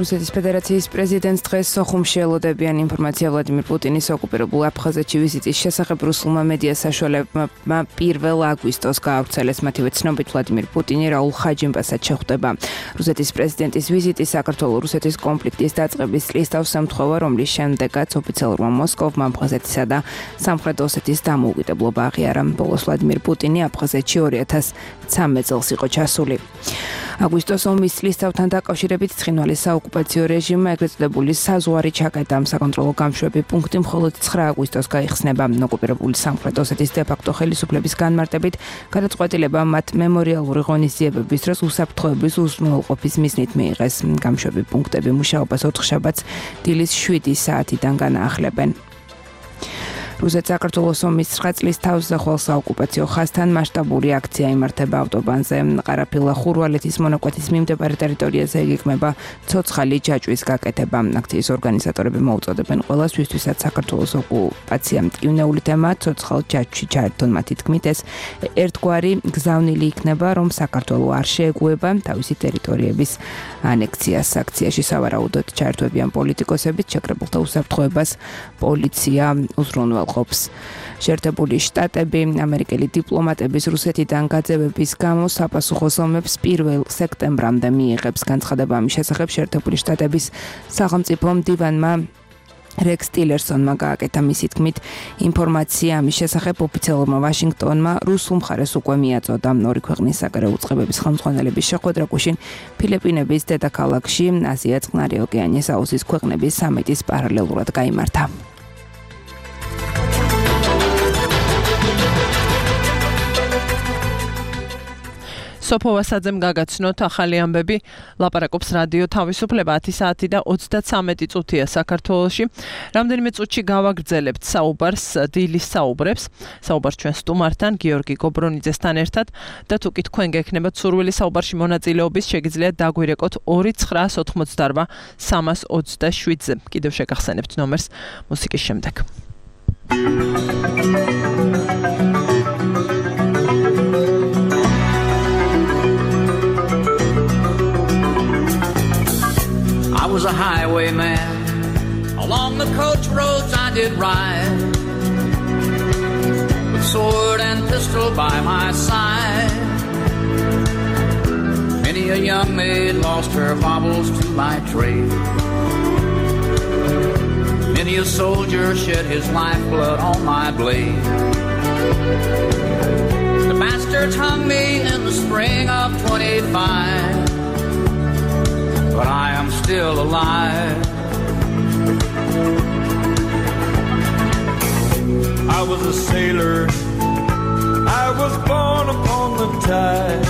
რუსეთის ფედერაციის პრეზიდენტს დღეს სოხუმში ელოდებიან ინფორმაცია ვლადიმირ პუტინის ოკუპირებულ აფხაზეთში ვიზიტის შესახებ რუსულმა მედია საშუალებმა პირველ აგვისტოს გაავრცელეს მათივე ცნობით ვლადიმირ პუტინი რაულ ხაჯიმბასად შეხვდება. რუსეთის პრეზიდენტის ვიზიტი საქართველო-რუსეთის კონფლიქტის დაწყების წლის თავს ემთხვევა, რომლის შემდეგაც ოფიციალურმა მოსკოვმა აფხაზეთისა და სამხრეთ ოსეთის დამოუკიდებლობა აღიარა. ბოლოს ვლადიმირ პუტინი აფხაზეთში ორი ათას ცამეტ წელს იყო ჩასული. აგვისტოს ომის წლის თავთან დაკავშირებით ცხინვალის საოკუპაციო რეჟიმმა ეგრეთ წოდებული საზღვარი ჩაკეტა. საკონტროლო გამშვები პუნქტი მხოლოდ ცხრა აგვისტოს გაიხსნება. ოკუპირებული სამხრეთ ოსეთის დე-ფაქტო ხელისუფლების განმარტებით გადაწყვეტილება მათ მემორიალური ღონისძიებების დროს უსაფრთხოების უზრუნველყოფის მიზნით მიიღეს. გამშვები პუნქტები მუშაობას ოთხშაბათს დილის შვიდი საათიდან განაახლებენ. რუსეთ-საქართველოს ომის ცხრა წლის თავზე ხვალ საოკუპაციო ხაზთან მასშტაბური აქცია იმართება ავტობანზე. ყარაფილა-ხურვალეთის მონაკვეთის მიმდებარე ტერიტორიაზე იგეგმება ცოცხალი ჯაჭვის გაკეთება. აქციის ორგანიზატორები მოუწოდებენ ყველას, ვისთვისაც საქართველოს ოკუპაცია მტკივნეული თემაა, ცოცხალ ჯაჭვში ჩაერთონ მათი თქმით ეს ერთგვარი გზავნილი იქნება, რომ საქართველო არ შეეგუება თავისი ტერიტორიების ანექსიას. აქციაში სავარაუდოდ ჩაერთვებიან პოლიტიკოსებით, შეკრებულთა უსაფრთხოებას პოლიცია უზრუნველყოფს. შეერთებული შტატები ამერიკელი დიპლომატების რუსეთიდან გაძევების გამო საპასუხოს ომებს პირველ სექტემბრამდე მიიღებს. განცხადება ამის შესახებ შეერთებული შტატების სახელმწიფო მდივანმა რეკს ტილერსონმა გააკეთა. მისი თქმით, ინფორმაცია ამის შესახებ ოფიციალურმა ვაშინგტონმა რუსულ მხარეს უკვე მიაწოდა. ორი ქვეყნის საგარეო უწყებების ხელმძღვანელების შეხვედრა გუშინ ფილიპინების დედაქალაქში აზია წყნარი ოკეანის აუზის ქვეყნების სამიტის პარალელურად გაიმართა. სოფო ვასაძემ გაგაცნოთ ახალი ამბები. ლაპარაკობს რადიო თავისუფლება ათი საათი და ოცდაცამეტი წუთია საქართველოში. რამდენიმე წუთში გავაგრძელებთ საუბარს დილის საუბრებს. საუბარს ჩვენ სტუმართან გიორგი გობრონიძესთან ერთად და თუ კი თქვენ გექნებათ სურვილი საუბარში მონაწილეობის, შეგიძლიათ დაგვირეკოთ ორი ცხრაას ოთხმოცდარვა სამას ოცდაშვიდზე. კიდევ შეგახსენებთ ნომერს მუსიკის შემდეგ. I was a highwayman. Along the coach roads I did ride, with sword and pistol by my side. Many a young maid lost her baubles to my trade. Many a soldier shed his lifeblood on my blade. The bastards hung me in the spring of twenty-five, but I am still alive. I was a sailor, I was born upon the tide.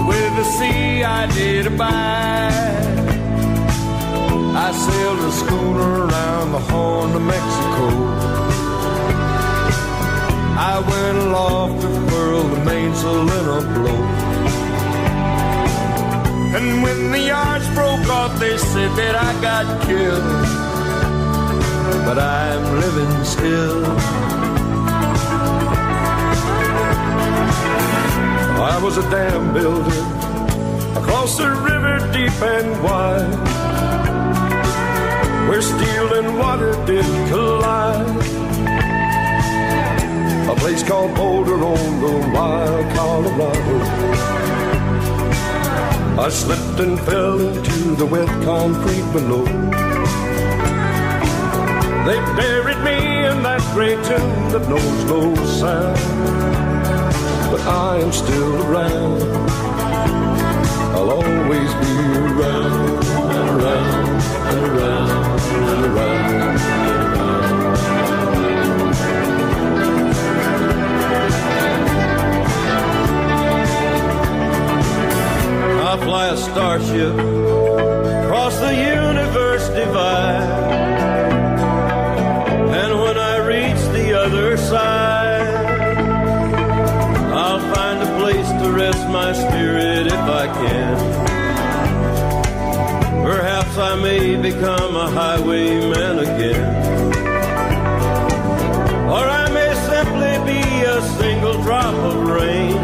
With the sea I did abide. I sailed a schooner around the Horn of Mexico. I went aloft to furl the mainsail in a blow. And when the yards broke off, they said that I got killed, but I'm living still. I was a dam builder across the river deep and wide, where steel and water did collide. place called Boulder on the wild Colorado. I slipped and fell into the wet concrete below. They buried me in that gray tomb that knows no sound. But I am still around. I'll always be around and around and around and around. I fly a starship across the universe divide, and when I reach the other side, I'll find a place to rest my spirit if I can. Perhaps I may become a highwayman again, or I may simply be a single drop of rain,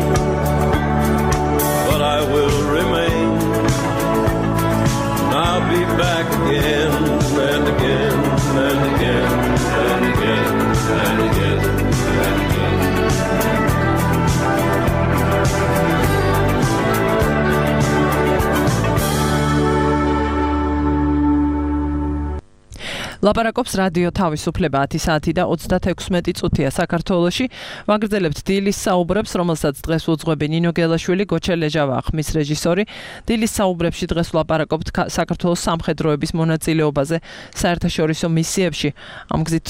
but I will remain. I'll be back again and again and again and again and again and again. ლაპარაკობს რადიო თავისუფლება ათი საათი და ოცდათექვსმეტი წუთია საქართველოში. ვაგრძელებთ დილის საუბრებს, რომელსაც დღეს უძღვები ნინო გელაშვილი, გოჩა ლეჟავა ხმის რეჟისორი. დილის საუბრებში დღეს ვლაპარაკობთ საქართველოს სამხედროების მონაწილეობაზე საერთაშორისო მისიებში. ამ გზით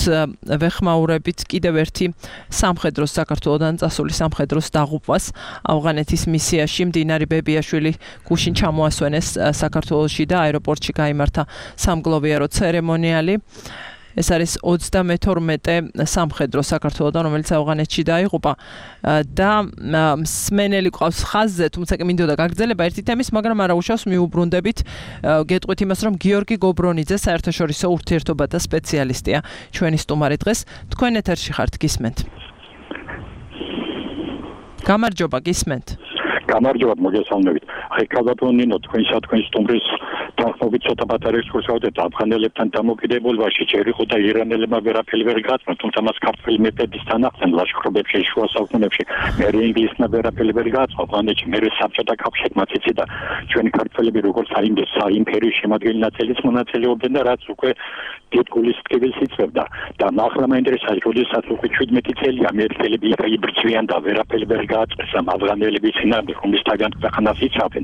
ვეხმაურებით კიდევ ერთი სამხედროს საქართველოდან წასული სამხედროს დაღუპვას. ავღანეთის მისიაში მდინარე ბებიაშვილი გუშინ ჩამოასვენეს საქართველოში და აეროპორტში გაიმართა სამგლოვიარო ცერემონიალი. ეს არის ოცდამეთორმეტე სამხედრო საქართველოდან, რომელიც ავღანეთში დაიღუპა და მსმენელი ყავს ხაზზე, თუმცა კი მინდოდა გაგრძელება ერთი თემის, მაგრამ არა უშავს მიუბრუნდებით გეტყვით იმას, რომ გიორგი გობრონიძე საერთაშორისო ურთიერთობათა სპეციალისტია. ჩვენი სტუმარი დღეს თქვენ ეთერში ხართ, გისმენთ. გამარჯობა, გისმენთ. გამარჯობა, მოგესალმებით. აი, კალბატონინო, თქვენსა თქვენ სტუმრის თანხმობით ცოტა პატარა ექსკურსია ვუძებთ ავღანელებთან დამოკიდებულებაში. ჯერ იყო და ირანელებმა ვერაფერი ვერ გაწმა, თუმცა მას ქართველი მეფეების თანახმად ლაშქრობებში, შუა საუკუნეებში მე ინგლისმა ვერაფერი ვერ გაწმა. ავღანეთში მე საბჭოთა კავშირმაც იცი და ჩვენი ქართველები როგორც აიმდეს საიმპერიო შემადგენელი ნაწილის მონაწილეობდნენ და რაც უკვე დიდ გულის ტკივილს იწევდა. და ახლა მაინტერესებს, როდესაც უკვე შვიდმეტი წელი ამერიკელები იბრძვიან და ვერაფერი ვერ გააწეს ამ ავღანელების წინააღმდეგ, რომლისთაგან ქვეყანას იცავენ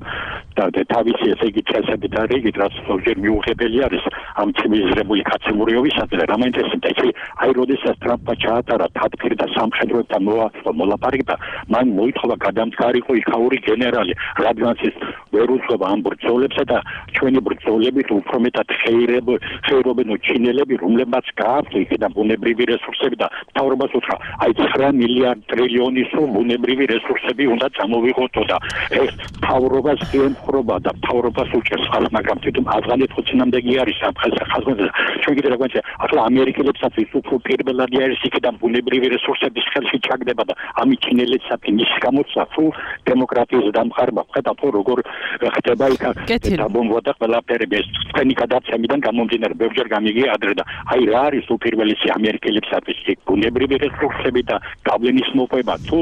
და თავისი ესე იგი წესები და რიგით, რაც ზოგჯერ მიუღებელი არის ამ ცივილიზებული კაცემურიობისადმი. რა მაინტერესებდა, იცი, აი როდესაც ტრამპმა ჩაატარა თათბირი და სამხედროებთან მოლაპარაკება, მან მოითხოვა გადამდგარიყო იქაური გენერალი, რადგანაც ის ვერ უძღვება ამ ბრძოლებსა და ჩვენი ბრძოლებით უფრო მეტად ხეირობენ ჩინელები, რომლებმაც გააქვთ იქიდან ბუნებრივი რესურსები და მთავრობას უთხრა, აი ცხრა მილიარდ ტრილიონის ბუნებრივი რესურსები უნდა წამოვიღოთ და ეს მთავრობას ემხრობა და მთავრობას უჭერს ხალხს, მაგრამ თვითონ ავღანეთი ხო წინამდეგი არის ამ ხალხზე. ჩვენ კიდე რა გვაქვს, ახლა ამერიკელებსაც ის უფრო პირველადი არის იქიდან ბუნებრივი რესურსების ხელში ჩაგდება და ამი ჩინელებსაც ის გამოცდა თუ დემოკრატიის დამყარება. ხედავთ როგორ ხდება იქ დაბომბვა და ყველაფერი ეს თქვენი გადაცემიდან გამომდინარე ბევრჯერ გამიგია ადრე და აი რა არის უპირველესი ამერიკელებსაც ის ბუნებრივი რესურსები და გავლენის მოპოვება თუ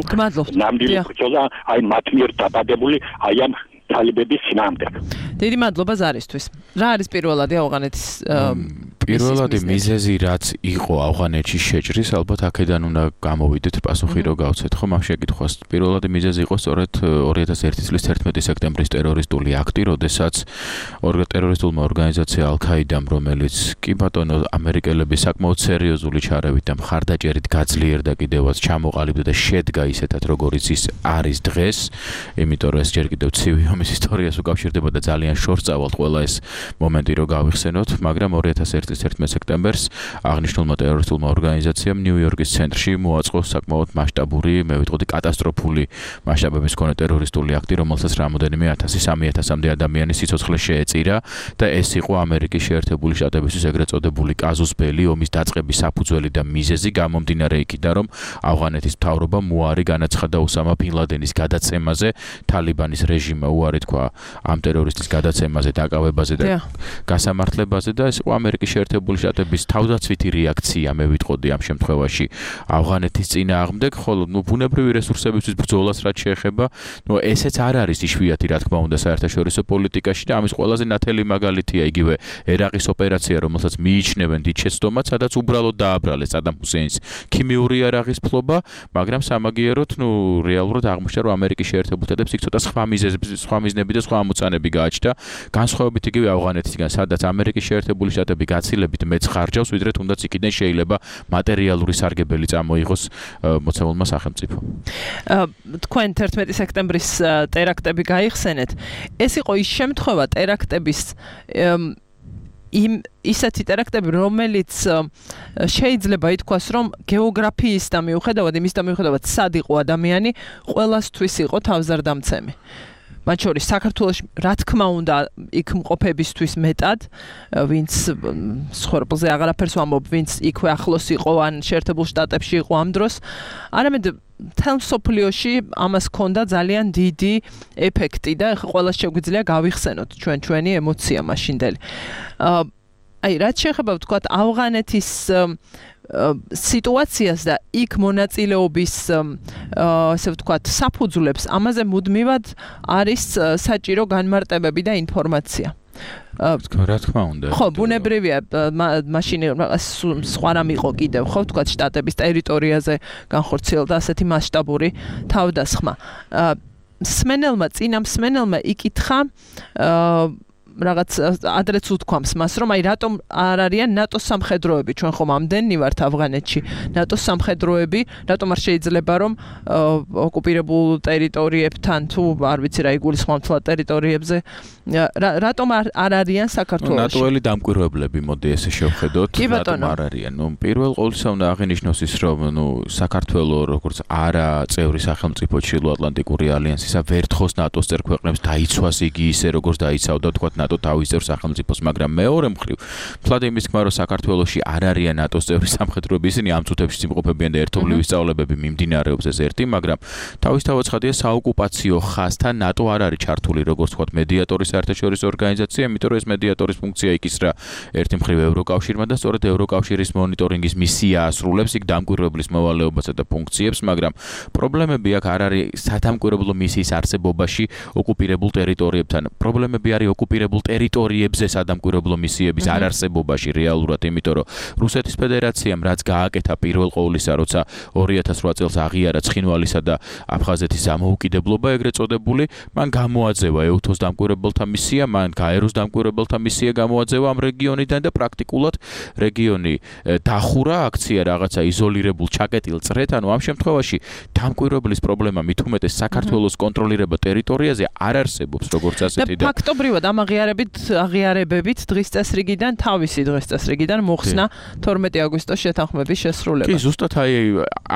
ნამდვილი ბრძოლა აი მათ მიერ დაბადებული აი ამ თალებების წინააღმდეგ. დიდი მადლობა ზარისთვის. რა არის პირველადი ავღანეთის პირველადი მიზეზი, რაც იყო ავღანეთში შეჭრის, ალბათ აქედან უნდა გამოვიდეთ პასუხი რო გავცეთ ხომ ამ შეკითხვას. პირველადი მიზეზი იყო სწორედ ორი ათას ერთი წლის თერთმეტი სექტემბრის ტერორისტული აქტი, როდესაც ტერორისტულმა ორგანიზაცია ალ-ქაიდამ, რომელიც კი ბატონო ამერიკელები საკმაოდ სერიოზული ჩარევით და მხარდაჭერით გაძლიერდა კიდევაც ჩამოყალიბდა და შედგა ისეთად, როგორიც ის არის დღეს, იმიტომ რომ ეს ჯერ კიდევ ცივი ომის ისტორიას უკავშირდება და ძალიან შორს წავალთ ყველა ეს მომენტი რო გავიხსენოთ, მაგრამ ორი ათას ერთი წლის თერთმეტი სექტემბერს აღნიშნულმა ტერორისტულმა ორგანიზაციამ ნიუ-იორკის ცენტრში მოაწყო საკმაოდ მასშტაბური, მე ვიტყოდი კატასტროფული მასშტაბების მქონე ტერორისტული აქტი, რომელსაც რამოდენიმე ათასი სამი ათასამდე ადამიანის სიცოცხლე შეეწირა და ეს იყო ამერიკის შეერთებული შტატებისთვის ეგრეთ წოდებული კაზუს ბელი, ომის დაწყების საფუძველი და მიზეზი გამომდინარე იქიდან, რომ ავღანეთის მთავრობამ უარი განაცხადა ოსამა ბინ ლადენის გადაცემაზე, თალიბანის რეჟიმმა უარი თქვა ამ ტერორისტის გადაცემაზე, დაკავებაზე და გასამართლებაზე და ეს იყო ამერიკის შეერთებული შტატების თავდაცვითი რეაქცია მე ვიტყოდი ამ შემთხვევაში ავღანეთის წინააღმდეგ, ხოლო ნუ ბუნებრივი რესურსებისთვის ბრძოლას რაც შეეხება, ნუ ესეც არ არის იშვიათი რა თქმა უნდა საერთაშორისო პოლიტიკაში და ამის ყველაზე ნათელი მაგალითია იგივე ერაყის ოპერაცია, რომელსაც მიიჩნევენ დიდ შეცდომად, სადაც უბრალოდ დააბრალეს სადამ ჰუსეინს ქიმიური იარაღის ფლობა, მაგრამ სამაგიეროდ ნუ რეალურად აღმოჩნდა რომ ამერიკის შეერთებულ შტატებს იქ ცოტა სხვა მიზეზები, სხვა მიზნები და სხვა ამოცანები გააჩნდა, განსხვავებით იგივე ავღანეთისგან, სადაც ამერიკის შეერთებული შტატები გაცილებით მეც ხარჯავს, ვიდრე თუნდაც იქიდან შეიძლება მატერიალური სარგებელი წამოიღოს მოცემულმა სახელმწიფომ. თქვენ თერთმეტი სექტემბრის ტერაქტები გაიხსენეთ. ეს იყო ის შემთხვევა ტერაქტების იმ ისეთი ტერაქტები, რომელიც შეიძლება ითქვას, რომ გეოგრაფიისთან მიუხედავად, იმისთან მიუხედავად, სად იყო ადამიანი, ყველასთვის იყო თავზარდამცემი. მათ შორის საქართველოში რა თქმა უნდა იქ მყოფებისთვის მეტად, ვინც ცხოვრებულზე აღარაფერს ვამბობ, ვინც იქვე ახლოს იყო ან შეერთებულ შტატებში იყო ამ დროს, არამედ მთელ მსოფლიოში ამას ჰქონდა ძალიან დიდი ეფექტი და ყველას შეგვიძლია გავიხსენოთ ჩვენ ჩვენი ემოცია მაშინდელი. აი, რაც შეეხება ვთქვათ ავღანეთის სიტუაციას და იქ მონაწილეობის ასე ვთქვათ საფუძვლებს, ამაზე მუდმივად არის საჭირო განმარტებები და ინფორმაცია. რა თქმა უნდა. ხო, ბუნებრივია, მაშინ სხვა რამ იყო კიდევ, ხო, ვთქვათ შტატების ტერიტორიაზე განხორციელდა ასეთი მასშტაბური თავდასხმა. მსმენელმა, წინა მსმენელმა იკითხა რაღაც ადრეც უთქვამს მას, რომ აი რატომ არ არიან ნატოს სამხედროები, ჩვენ ხომ ამდენი ვართ ავღანეთში, ნატოს სამხედროები, რატომ არ შეიძლება რომ ოკუპირებულ ტერიტორიებთან თუ არ ვიცი რა იგულისხმობთ ტერიტორიებზე, რატომ არ არიან საქართველოში? ნატოელი დამკვირვებლები, მოდი ესე შევხედოთ, რატომ არ არიან? ნუ პირველ ყოვლისა უნდა აღინიშნოს ის, რომ ნუ საქართველოს როგორც არა წევრი სახელმწიფო ჩრდილოატლანტიკური ალიანსისა ვერთხოს ნატოს წევრ ქვეყნებს დაიცვას იგი ისე როგორც დაიცავდა თქვათ ნატო თავის წევრ სახელმწიფოს, მაგრამ მეორე მხრივ, თლად იმის თქმა, რომ საქართველოში არ არიან ნატოს წევრი სამხედროები, ისინი ამ წუთებში იმყოფებიან და ერთობლივი სწავლებები მიმდინარეობს ეს ერთი, მაგრამ თავისთავად ცხადია საოკუპაციო ხაზთან ნატო არ არის ჩართული, როგორც თქვათ მედიატორის საერთაშორისო ორგანიზაცია, იმიტომ რომ ეს მედიატორის ფუნქცია იკისრა ერთი მხრივ ევროკავშირმა და სწორედ ევროკავშირის მონიტორინგის მისია ასრულებს იქ დამკვირვებლის მოვალეობასა და ფუნქციებს, მაგრამ პრობლემები აქ არ არის სადამკვირვებლო მისიის არსებობაში ოკუპირებულ ტერიტორიებთან. პრობლემები არის ოკუპირებულ ტერიტორიებზე სადამკვირვებლო მისიების არ არსებობაში რეალურად, იმიტომ რომ რუსეთის ფედერაციამ რაც გააკეთა პირველ ყოვლისა, როცა ორი ათას რვა წელს აღიარა ცხინვალისა და აფხაზეთის დამოუკიდებლობა ეგრეთ წოდებული, მან გამოაძევა ეუთოს დამკვირვებელთა მისია, მან გაეროს დამკვირვებელთა მისია გამოაძევა ამ რეგიონიდან და პრაქტიკულად რეგიონი დახურა, აქცია რაღაცა იზოლირებულ ჩაკეტილ წრეთ, ანუ ამ შემთხვევაში დამკვირვებლის პრობლემა მით უმეტეს საქართველოს კონტროლირება ტერიტორიაზე არ არსებობს, როგორც ასეთი და ფაქტობრივად ამ აღიარებით აღიარებებით დღის წესრიგიდან თავისი დღის წესრიგიდან მოხსნა თორმეტი აგვისტოს შეთანხმების შესრულება. კი, ზუსტად აი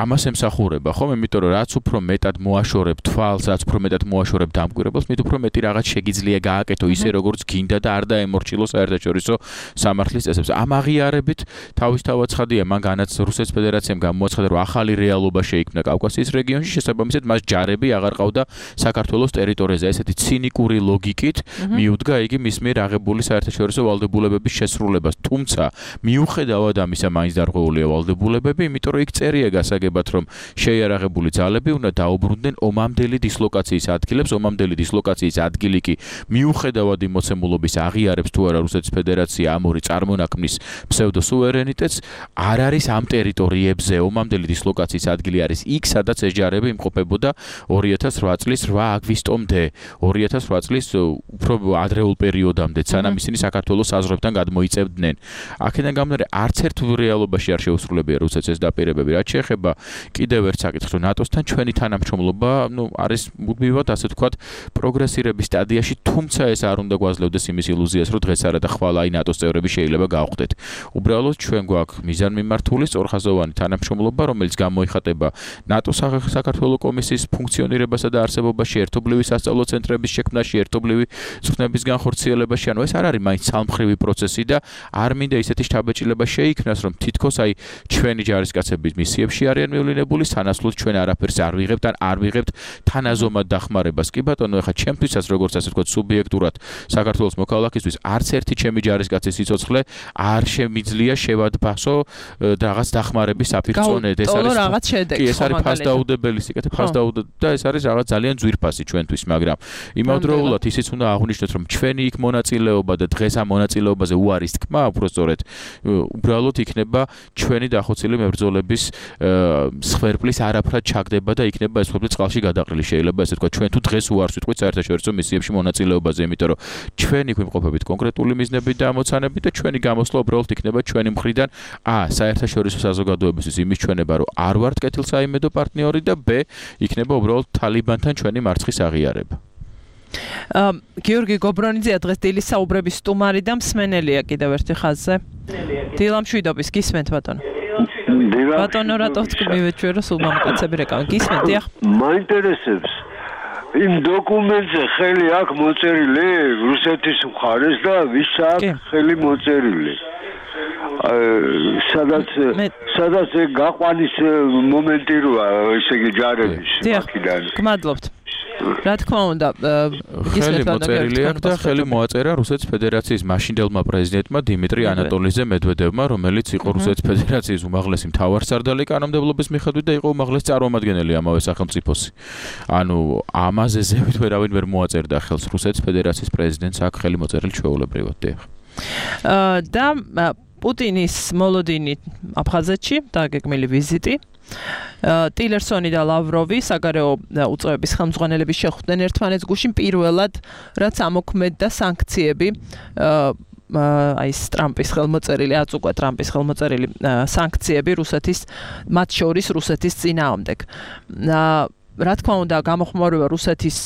ამას ემსახურება, ხომ? იმიტომ რომ რაც უფრო მეტად მოაშორებ თვალს, რაც უფრო მეტად მოაშორებ დამკვირვებელს, მით უფრო მეტი რაღაც შეგიძლია გააკეთო ისე როგორც გინდა და არ დაემორჩილო საერთაშორისო სამართლის წესებს. ამ აღიარებით თავისთავად ცხადია, მან განაც რუსეთის ფედერაციამ გამოაცხადა, რომ ახალი რეალობა შეიქმნა კავკასიის რეგიონში, შესაბამისად მას ჯარები აღარ ყავდა საქართველოს ტერიტორიაზე. ესეთი ცინიკური ლოგიკით მიუდგა იგი მის მიერ აღებული საერთაშორისო ვალდებულებების შესრულებას. თუმცა, მიუხედავად ამისა, მაინც დარღვეულია ვალდებულებები, იმიტომ რომ იქ წერია გასაგებად, რომ შეიარაღებული ძალები უნდა დაუბრუნდნენ ომამდელი დისლოკაციის ადგილებს, ომამდელი დისლოკაციის ადგილი კი მიუხედავად იმოცემულობის აღიარებს თუ არა რუსეთის ფედერაცია ამ ორი წარმონაქმნის ფსევდოსუვერენიტეტს, არ არის ამ ტერიტორიებზე. ომამდელი დისლოკაციის ადგილი არის იქ, სადაც ეს ჯარები იმყოფებოდა ორი ათას რვა წლის რვა აგვისტომდე, ორი ათას რვა წლის უფრო ადრეულ პერიოდამდე, სანამ ისინი საქართველოს საზღვრებთან გადმოიწევდნენ. აქედან გამომდინარე, არც ერთ რეალობაში არ შეუსრულებია რუსეთს ეს დაპირებები. რაც შეეხება კიდევ ერთ საკითხს, რომ ნატოსთან ჩვენი თანამშრომლობა, ნუ არის მუდმივად, ასე ვთქვათ, პროგრესირების სტადიაში, თუმცა ეს არ უნდა გვაძლევდეს იმის ილუზიას, რომ დღეს არა და ხვალ აი ნატოს წევრები შეიძლება გავხდეთ. უბრალოდ ჩვენ გვაქვს მიზანმიმართული სწორხაზოვანი თანამშრომლობა, რომელიც გამოიხატება ნატოს საქართველოს კომისიის ფუნქციონირებასა და არსებობაში, ერთობლივი სასწავლო ცენტრების შექმნაში, ერთობლივი წვრთნების განხორციელებას განხორციელებაში, ანუ ეს არ არის მაინც ცალმხრივი პროცესი და არ მინდა ისეთი შთაბეჭდილება შეიქმნას, რომ თითქოს აი ჩვენი ჯარისკაცების მისიებში არიან მივლინებული, სანაცვლოდ ჩვენ არაფერს არ ვიღებთ ან არ ვიღებთ თანაზომად დახმარებას. კი ბატონო, ეხლა ჩემთვისაც როგორც ასე ვთქვათ, სუბიექტურად საქართველოს მოქალაქისთვის არც ერთი ჩემი ჯარისკაცის სიცოცხლე არ შემიძლია შევადბასო რაღაც დახმარების საფირწონედ. ეს არის რაღაც შედეგი. კი, ეს არის ფასდაუდებელი სიკეთე, ფასდაუდ და ეს არის რაღაც ძალიან ძვირფასი ჩვენთვის, მაგრამ იმავდროულად ისიც უნდა აღვნიშნოთ, რომ ჩვენი იქ მონაწილეობა და დღეს ამ მონაწილეობაზე უარის თქმა, უბრალოდ უბრალოდ იქნება ჩვენი დახოცილი მებრძოლების სხერფლის არაფრად ჩაგდება და იქნება ეს სხერფლი წყალში გადაყრილი. შეიძლება ესე თქვა, ჩვენ თუ დღეს უარს ვიტყვით საერთაშორისო მისიებში მონაწილეობაზე, იმიტომ რომ ჩვენ იქ ვიმყოფებით კონკრეტული მიზნებით და ამოცანებით და ჩვენი გამოსვლა უბრალოდ იქნება ჩვენი მხრიდან ა საერთაშორისო საზოგადოებისთვის იმის ჩვენება, რომ არ ვართ კეთილსაიმედო პარტნიორი და ბ იქნება უბრალოდ თალიბანთან ჩვენი მარცხის აღიარება. გიორგი გობრონიძეა დღეს დილის საუბრების სტუმარი და მსმენელია კიდევ ერთი ხაზზე. დილა მშვიდობის, გისმენთ ბატონო. ბატონო, რატო თქვით ჩვენ რომ სულ მამაკაცები რეკავენ? გისმენთ, დიახ. მაინტერესებს იმ დოკუმენტზე ხელი აქვს მოწერილი რუსეთის მხარეს და ვის აქვს ხელი მოწერილი? სადაც სადაც გაყვანის მომენტი როა, ესე იგი ჯარების აქედან. გმადლობთ. რა თქმა უნდა, ხელი მოწერილი აქვს და ხელი მოაწერა რუსეთის ფედერაციის მაშინდელმა პრეზიდენტმა დიმიტრი ანატოლიძე მედვედევმა, რომელიც იყო რუსეთის ფედერაციის უმაღლესი მთავარსარდალი კანონმდებლობის მიხედვით და იყო უმაღლესი წარმომადგენელი ამავე სახელმწიფოსი. ანუ ამაზე ზევით ვერავინ ვერ მოაწერდა ხელს რუსეთის ფედერაციის პრეზიდენტს აქ ხელი მოწერილი ჩვეულებრივად. და პუტინის მოლოდინი აფხაზეთში დაგეგმილი ვიზიტი. ტილერსონი და ლავროვი საგარეო უწყებების ხელმძღვანელების შეხვდნენ ერთმანეთს გუშინ პირველად, რაც ამოქმედდა სანქციები აი ტრამპის ხელმოწერილი, აწუყვა ტრამპის ხელმოწერილი სანქციები რუსეთის, მათ შორის რუსეთის წინააღმდეგ. რა თქმა უნდა, გამოხმაურება რუსეთის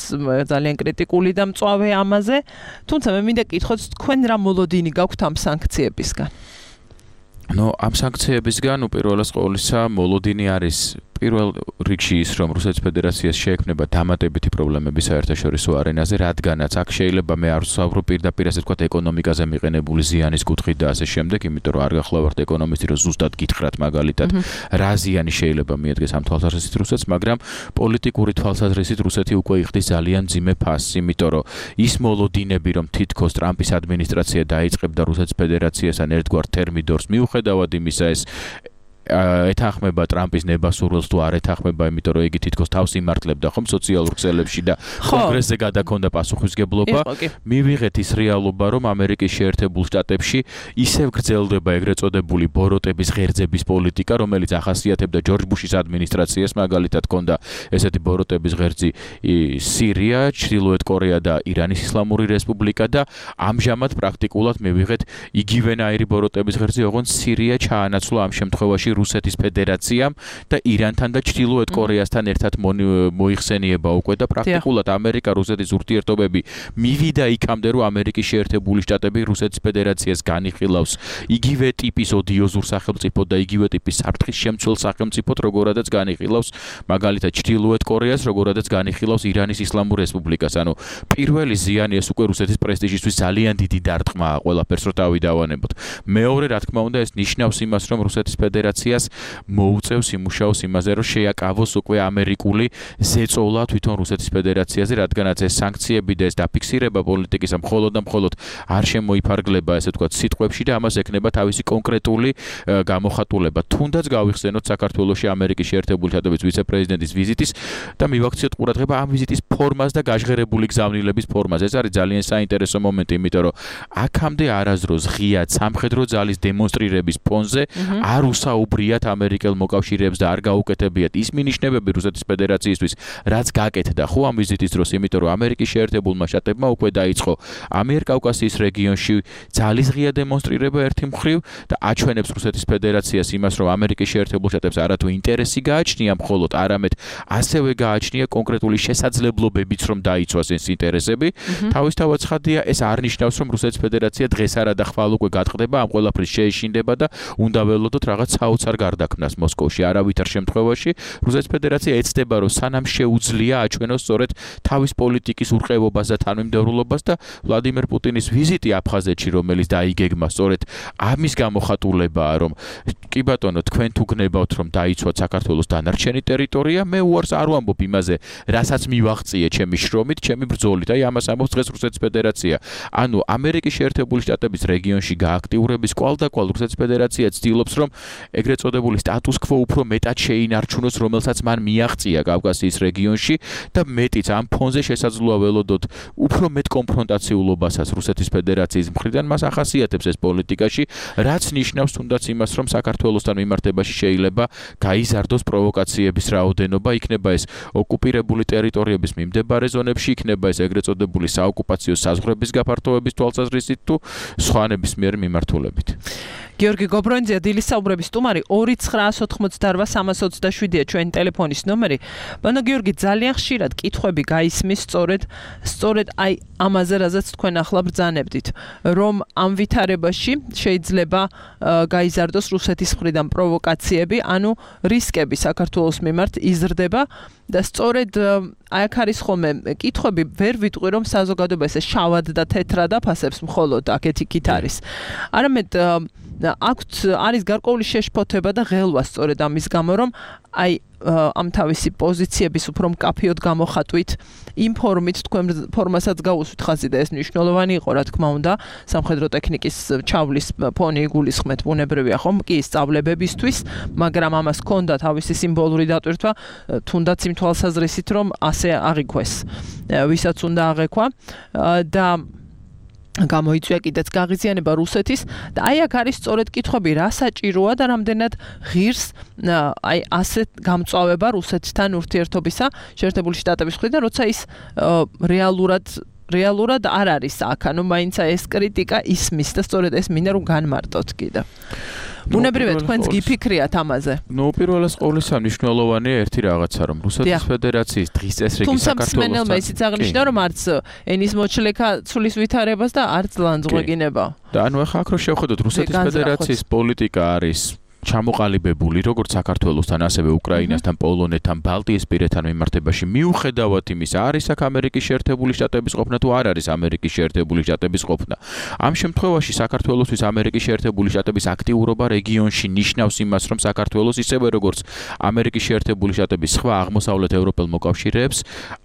ძალიან კრიტიკული და მწვავე ამაზე, თუმცა მე მინდა კითხოთ, თქვენ რა მოლოდინი გაქვთ ამ სანქციებისგან? ნუ ამ სანქციებისგან უპირველეს ყოვლისა მოლოდინი არის პირველ რიგში ის, რომ რუსეთის ფედერაციას შეექმნება დამატებითი პრობლემები საერთაშორისო არენაზე, რადგანაც აქ შეიძლება მე არ ვსაუბრობ პირდაპირ ასე ვთქვათ ეკონომიკაზე მიყენებული ზიანის კუთხით და ასე შემდეგ, იმიტომ რომ არ გახლავართ ეკონომისტი, რომ ზუსტად გითხრათ მაგალითად რა ზიანი შეიძლება მიადგეს ამ თვალსაზრისით რუსეთს, მაგრამ პოლიტიკური თვალსაზრისით რუსეთი უკვე იხდის ძალიან მძიმე ფასს, იმიტომ რომ ის მოლოდინები, რომ თითქოს ტრამპის ადმინისტრაცია დაიწყებდა რუსეთის ფედერაციასთან ერთგვარ თერმიდორს მიუხედავად იმისა, ეს ეთანხმება ტრამპის ნებასურველს თუ არ ეთანხმება, იმიტომ რომ იგი თითქოს თავს იმართლებდა ხომ სოციალურ ქსელებში და კონგრესზე გადაქონდა პასუხისგებლობა. მივიღეთ ის რეალობა, რომ ამერიკის შეერთებულ შტატებში ისევ გრძელდება ეგრეთ წოდებული ბოროტების ღერძების პოლიტიკა, რომელიც ახასიათებდა ჯორჯ ბუშის ადმინისტრაციას, მაგალითად ჰქონდა ესეთი ბოროტების ღერძი სირია, ჩრდილოეთ კორეა და ირანის ისლამური რესპუბლიკა და ამჟამად პრაქტიკულად მივიღეთ იგივენაირი ბოროტების ღერძი, ოღონდ სირია ჩაანაცვლა ამ შემთხვევაში რუსეთის ფედერაციამ და ირანთან და ჩრდილოეთ კორეასთან ერთად მოიხსენიება უკვე და პრაქტიკულად ამერიკა რუსეთის ურთიერთობები მივიდა იქამდე, რომ ამერიკის შეერთებული შტატები რუსეთის ფედერაციას განიხილავს იგივე ტიპის ოდიოზურ სახელმწიფოდ და იგივე ტიპის საფრთხის შემცველ სახელმწიფოდ, როგორადაც განიხილავს მაგალითად ჩრდილოეთ კორეას, როგორადაც განიხილავს ირანის ისლამურ რესპუბლიკას. ანუ პირველი ზიანი ეს უკვე რუსეთის პრესტიჟისთვის ძალიან დიდი დარტყმაა ყველაფერს რო თავი დავანებოთ. მეორე, რა თქმა უნდა, ეს ნიშნავს იმას, რომ რუსეთის ფედერაცია მოუწევს იმუშაოს იმაზე, რომ შეაკავოს უკვე ამერიკული ზეწოლა თვითონ რუსეთის ფედერაციაზე, რადგანაც ეს სანქციები და ეს დაფიქსირება პოლიტიკის მხოლოდ და მხოლოდ არ შემოიფარგლება, ესე ვთქვათ, სიტყვებში და ამას ექნება თავისი კონკრეტული გამოხატულება. თუნდაც გავიხსენოთ საქართველოში ამერიკის შეერთებული შტატების ვიცე-პრეზიდენტის ვიზიტის და მივაქციოთ ყურადღება ამ ვიზიტის ფორმას და გაჟღერებული გზავნილების ფორმას. ეს არის ძალიან საინტერესო მომენტი, იმიტომ რომ აქამდე არასდროს ღიად სამხედრო ძალის დემონსტრირების ფონზე არ უსაუბრიათ ამერიკელ მოკავშირეებს და არ გაუკეთებიათ ის მინიშნებები რუსეთის ფედერაციისთვის, რაც გაკეთდა ხო ამ ვიზიტის დროს, იმიტომ რომ ამერიკის შეერთებულმა შტატებმა უკვე დაიწყო ამიერკავკასიის რეგიონში ძალის ღია დემონსტრირება ერთი მხრივ და აჩვენებს რუსეთის ფედერაციას იმას, რომ ამერიკის შეერთებულ შტატებს არათუ ინტერესი გააჩნია მხოლოდ, არამედ ასევე გააჩნია კონკრეტული შესაძლებლობებიც, რომ დაიცვას ეს ინტერესები. თავისთავად ცხადია, ეს არ ნიშნავს, რომ რუსეთის ფედერაცია დღეს არა და ხვალ უკვე გატყდება, ამ ყველაფრის შეეშინდება და უნდა ველოდოთ რაღაც საკმაოდ არ გარდაქმნას მოსკოვში არავითარ შემთხვევაში რუსეთის ფედერაცია ეცდება რომ სანამ შეუძლია აჩვენოს სწორედ თავის პოლიტიკის ურყევობას და თანმიმდევრულობას და ვლადიმერ პუტინის ვიზიტი აფხაზეთში რომელიც დაიგეგმა სწორედ ამის გამოხატულებაა რომ კი ბატონო თქვენ თუ გნებავთ რომ დაიცვათ საქართველოს დანარჩენი ტერიტორია მე უარს არ ვამბობ იმაზე რასაც მივაღწიე ჩემი შრომით ჩემი ბრძოლით აი ამას ამბობს დღეს რუსეთის ფედერაცია ანუ ამერიკის შეერთებული შტატების რეგიონში გააქტიურების კვალდაკვალ რუსეთის ფედერაცია ცდილობს რომ ეგრეთ წოდებული სტატუს კვო უფრო მეტად შეინარჩუნოს რომელსაც მან მიაღწია კავკასიის რეგიონში და მეტიც ამ ფონზე შესაძლოა ველოდოთ უფრო მეტ კონფრონტაციულობასაც რუსეთის ფედერაციის მხრიდან მას ახასიათებს ეს პოლიტიკაში რაც ნიშნავს თუნდაც იმას რომ საქართველოსთან მიმართებაში შეიძლება გაიზარდოს პროვოკაციების რაოდენობა იქნება ეს ოკუპირებული ტერიტორიების მიმდებარე ზონებში იქნება ეს ეგრეთ წოდებული საოკუპაციო საზღვრების გაფართოების თვალსაზრისით თუ სხვანების მიერ მიმართულებით გიორგი გობრონიძე დილის საუბრების სტუმარი ორი ცხრაას ოთხმოცდაოთხ სამას ოცდაშვიდია ჩვენი ტელეფონის ნომერი. ბანო გიორგი ძალიან ხშირად კითხვები გაისმის სწორედ სწორედ აი ამაზე რაზეც თქვენ ახლა ბრძანებდით რომ ამ ვითარებაში შეიძლება გაიზარდოს რუსეთის მხრიდან პროვოკაციები ანუ რისკები საქართველოს მიმართ იზრდება და სწორედ აი აქ არის ხოლმე კითხვები ვერ ვიტყვი რომ საზოგადოება ესე შავად და თეთრად აფასებს მხოლოდ აქეთ იქით არის არამედ აქვთ არის გარკვეული შეშფოთება და ღელვა სწორედ ამის გამო რომ აი ამ თავისი პოზიციების უფრო მკაფიოდ გამოხატვით იმ ფორმით თქვენ ფორმასაც გაუსვით ხაზი და ეს მნიშვნელოვანი იყო რა თქმა უნდა სამხედრო ტექნიკის ჩავლის ფონი იგულისხმეთ ბუნებრივია ხომ კი სწავლებებისთვის მაგრამ ამას ჰქონდა თავისი სიმბოლური დატვირთვა თუნდაც იმ თვალსაზრისით რომ ასე აღიქვეს ვისაც უნდა აღეკვა და გამოიწვია კიდეც გაღიზიანება რუსეთის და აი აქ არის სწორედ კითხვები რა საჭიროა და რამდენად ღირს აი ასეთ გამწვავება რუსეთთან ურთიერთობისა შეერთებული შტატების მხრიდან როცა ის რეალურად რეალურად არ არის აქ ანუ მაინც ეს კრიტიკა ისმის და სწორედ ეს მინდა რომ განმარტოთ კიდე ბუნებრივად თქვენს გიფიქრიათ ამაზე. ნუ პირველას ყოვლისა მნიშვნელოვანია ერთი რაღაცა რომ რუსეთის ფედერაციის დღის წესრიგი საქართველოს თუმცა მსმენელმა ისიც აღნიშნა რომ არც ენის მოჩლექა ცulis ვითარებას და არც ლანძღვეგინება. და ანუ ახლა აქ რო შევხედოთ რუსეთის ფედერაციის პოლიტიკა არის ჩამოყალიბებული როგორც საქართველოსთან ასევე უკრაინასთან, პოლონეთთან, ბალტიისპირეთთან მიმართებაში მიუხედავად იმისა, არის აქ ამერიკის შეერთებული შტატების ყოფნა თუ არ არის ამერიკის შეერთებული შტატების ყოფნა. ამ შემთხვევაში საქართველოსთვის ამერიკის შეერთებული შტატების აქტიურობა რეგიონში ნიშნავს იმას, რომ საქართველოს ისევე როგორც ამერიკის შეერთებული შტატების სხვა აღმოსავლეთ ევროპელ მოკავშირეებს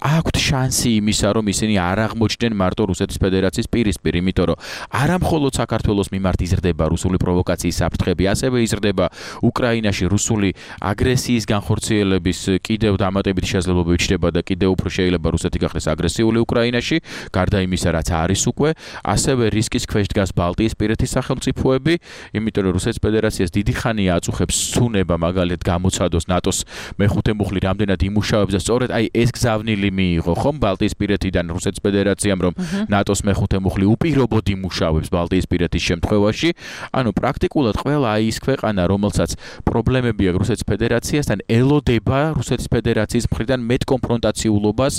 აქვთ შანსი იმისა, რომ ისინი არ აღმოჩნდნენ მარტო რუსეთის ფედერაციის პირისპირ, იმიტომ რომ არა მხოლოდ საქართველოს მიმართ იზრდება რუსული პროვოკაციის საფრთხები, ასევე იზრდება უკრაინაში რუსული აგრესიის განხორციელების კიდევ დამატებითი შესაძლებლობები ჩნდება და კიდევ უფრო შეიძლება რუსეთი გახდეს აგრესიული უკრაინაში, გარდა იმისა, რაც არის უკვე, ასევე რისკის ქვეშ დგას ბალტიისპირეთის სახელმწიფოები, იმიტომ რომ რუსეთის ფედერაციას დიდი ხანია აწუხებს ცუნება მაგალითად გამოცადოს ნატოს მეხუთე მუხლი რამდენად იმუშავებს და სწორედ აი ეს გზავნილი მიიღო ხომ ბალტიისპირეთიდან რუსეთის ფედერაციამ რომ ნატოს მეხუთე მუხლი უპირობოდ იმუშავებს ბალტიისპირეთის შემთხვევაში, ანუ პრაქტიკულად ყველა აი ის ქვეყანა რომელსაც პრობლემები აქვს რუსეთის ფედერაციასთან ელოდება რუსეთის ფედერაციის მხრიდან მეტ კონფრონტაციულობას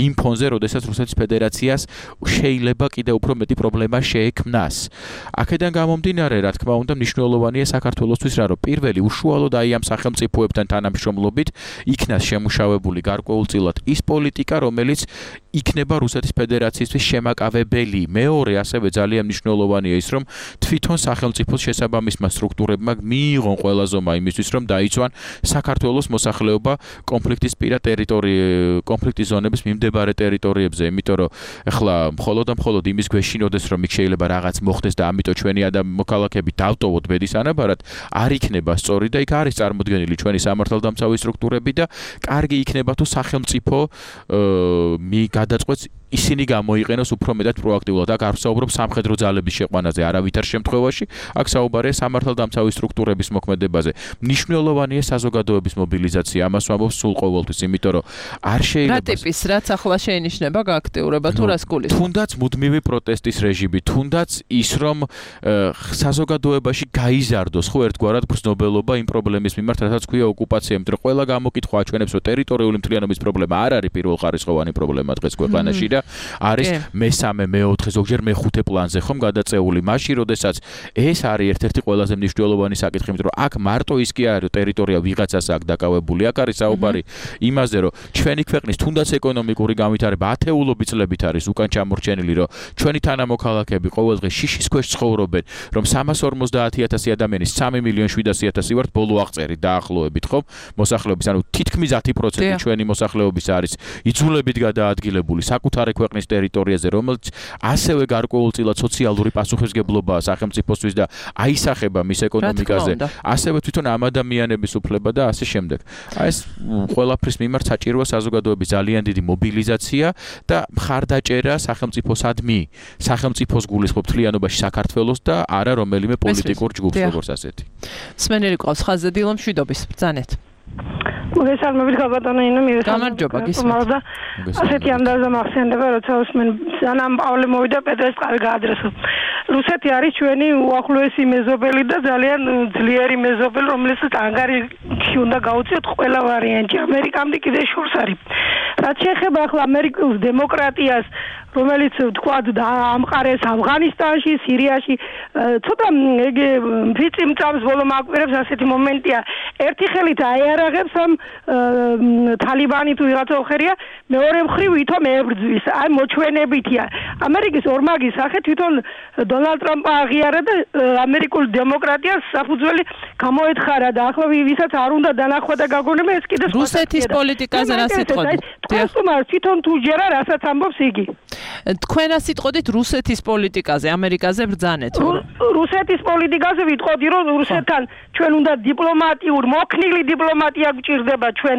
იმ ფონზე, როდესაც რუსეთის ფედერაციას შეიძლება კიდევ უფრო მეტი პრობლემა შეექმნას. აქედან გამომდინარე, რა თქმა უნდა, მნიშვნელოვანია საქართველოსთვის რა, რომ პირველი უშუალოდ აი ამ სახელმწიფოებთან თანამშრომლობით იქნას შემუშავებული გარკვეულწილად ის პოლიტიკა, რომელიც იქნება რუსეთის ფედერაციისთვის შემაკავებელი. მეორე, ასევე ძალიან მნიშვნელოვანია ის, რომ თვითონ სახელმწიფოს შესაბამისმა სტრუქტურებმა მიიღონ ყველა ზომა იმისთვის, რომ დაიცვან საქართველოს მოსახლეობა კონფლიქტის პირა ტერიტორიები, კონფლიქტის ზონების მიმდებარე ტერიტორიებზე, იმიტომ რომ ეხლა მხოლოდ და მხოლოდ იმის გვეშინოდეს, რომ იქ შეიძლება რაღაც მოხდეს და ამიტომ ჩვენი მოქალაქეები დავტოვოთ ბედის ანაბარად, არ იქნება სწორი და იქ არის წარმოდგენილი ჩვენი სამართალდამცავი სტრუქტურები და კარგი იქნება თუ სახელმწიფო მი გადაწყვეტს ისინი გამოიყენოს უფრო მეტად პროაქტიულად. აქ არ ვსაუბრობ სამხედრო ძალების შეყვანაზე არავითარ შემთხვევაში, აქ საუბარია სამართალდამცავი სტრუქტურების მოქმედებაზე. მნიშვნელოვანია საზოგადოების მობილიზაცია, ამას ვამბობ სულ ყოველთვის, იმიტომ რომ არ შეიძლება რა ტიპის რაც ახლა შეინიშნება გააქტიურება თუ რას გულისხმობთ? თუნდაც მუდმივი პროტესტის რეჟიმი, თუნდაც ის რომ საზოგადოებაში გაიზარდოს ხო ერთგვარად გრძნობელობა იმ პრობლემის მიმართ, რასაც ქვია ოკუპაცია, იმიტომ რომ ყველა გამოკითხვა აჩვენებს, რომ ტერიტორიული მთლიანობის პრობლემა არ არის პირველხარისხოვანი პრობლემა დღეს ქვეყანაში და არის მესამე, მეოთხე, ზოგჯერ მეხუთე პლანზე ხომ გადაწეული. მაშინ, როდესაც ეს არის ერთ-ერთი ყველაზე მნიშვნელოვანი საკითხი, იმიტომ რომ აქ მარტო ის კი არის, ტერიტორია ვიღაცას აქ დაკავებული. აქ არის საუბარი იმაზე, რომ ჩვენი ქვეყნის თუნდაც ეკონომიკური განვითარება ათეულობით წლებით არის უკან ჩამორჩენილი, რომ ჩვენი თანამოქალაქეები ყოველდღე შიშის ქვეშ ცხოვრობენ, რომ სამას ორმოცდაათი ათასი ადამიანის სამი მილიონი შვიდასი ათასი ვართ ბოლო აღწერი დაახლოებით, ხო? მოსახლეობის, ანუ თითქმის ათი პროცენტი ჩვენი მოსახლეობის არის იძულებით გადაადგილებული საკუთარი ქვეყნის ტერიტორიაზე, რომელიც ასევე გარკვეულწილად სოციალური პასუხისმგებლობაა სახელმწიფოსთვის და აისახება მის ეკონომიკაზე, ასევე თვითონ ამ ადამიანების უფლება და ასე შემდეგ. აი ეს ყველაფრის მიმართ საჭიროა საზოგადოების ძალიან დიდი მობილიზაცია და მხარდაჭერა სახელმწიფოსადმი, სახელმწიფოს გულისხმობ თლიანობაში საქართველოს და არა რომელიმე პოლიტიკურ ჯგუფს როგორც ასეთი. სმენელი ყავს ხაზზე დილა მშვიდობის ბრძანეთ. მოგესალმებით გაბატონო ინო მივესალმებით. გამარჯობა გისმენთ. ასეთი ამდაზე მახსენდება როცა უსმენ სანამ პავლე მოვიდა პეტრეს წყალი გაადრესო. რუსეთი არის ჩვენი უახლოესი მეზობელი და ძალიან ძლიერი მეზობელი, რომელსაც ანგარიში უნდა გაუწიოთ ყველა ვარიანტი. ამერიკამდე კიდე შორს არის. რაც შეეხება ახლა ამერიკულ დემოკრატიას, რომელიც თქვათ ამყარეს ავღანისტანში, სირიაში, ცოტა ეგ ფიცი მწამს ბოლო მაკვირებს ასეთი მომენტია. ერთი ხელით აიარაღებს ამ თალიბანი თუ ვიღაცა ხერია, მეორე მხრივ ვითომ ებრძვის. აი მოჩვენებითია. ამერიკის ორმაგის სახე თვითონ დონალდ ტრამპმა აღიარა და ამერიკულ დემოკრატიას საფუძველი გამოეთხარა და ახლა ვისაც არ უნდა დანახვა და გაგონება ეს კიდე სხვა. რუსეთის პოლიტიკაზე რა სიტყვით? თქვენ თვითონ თუ ჯერა რასაც ამბობს იგი. თქვენ რა სიტყვით რუსეთის პოლიტიკაზე, ამერიკაზე ბრძანეთ? რუსეთის პოლიტიკაზე ვიტყოდი, რომ რუსეთთან ჩვენ უნდა დიპლომატიურ, მოქნილი დიპლომატია გვჭირდება ჩვენ.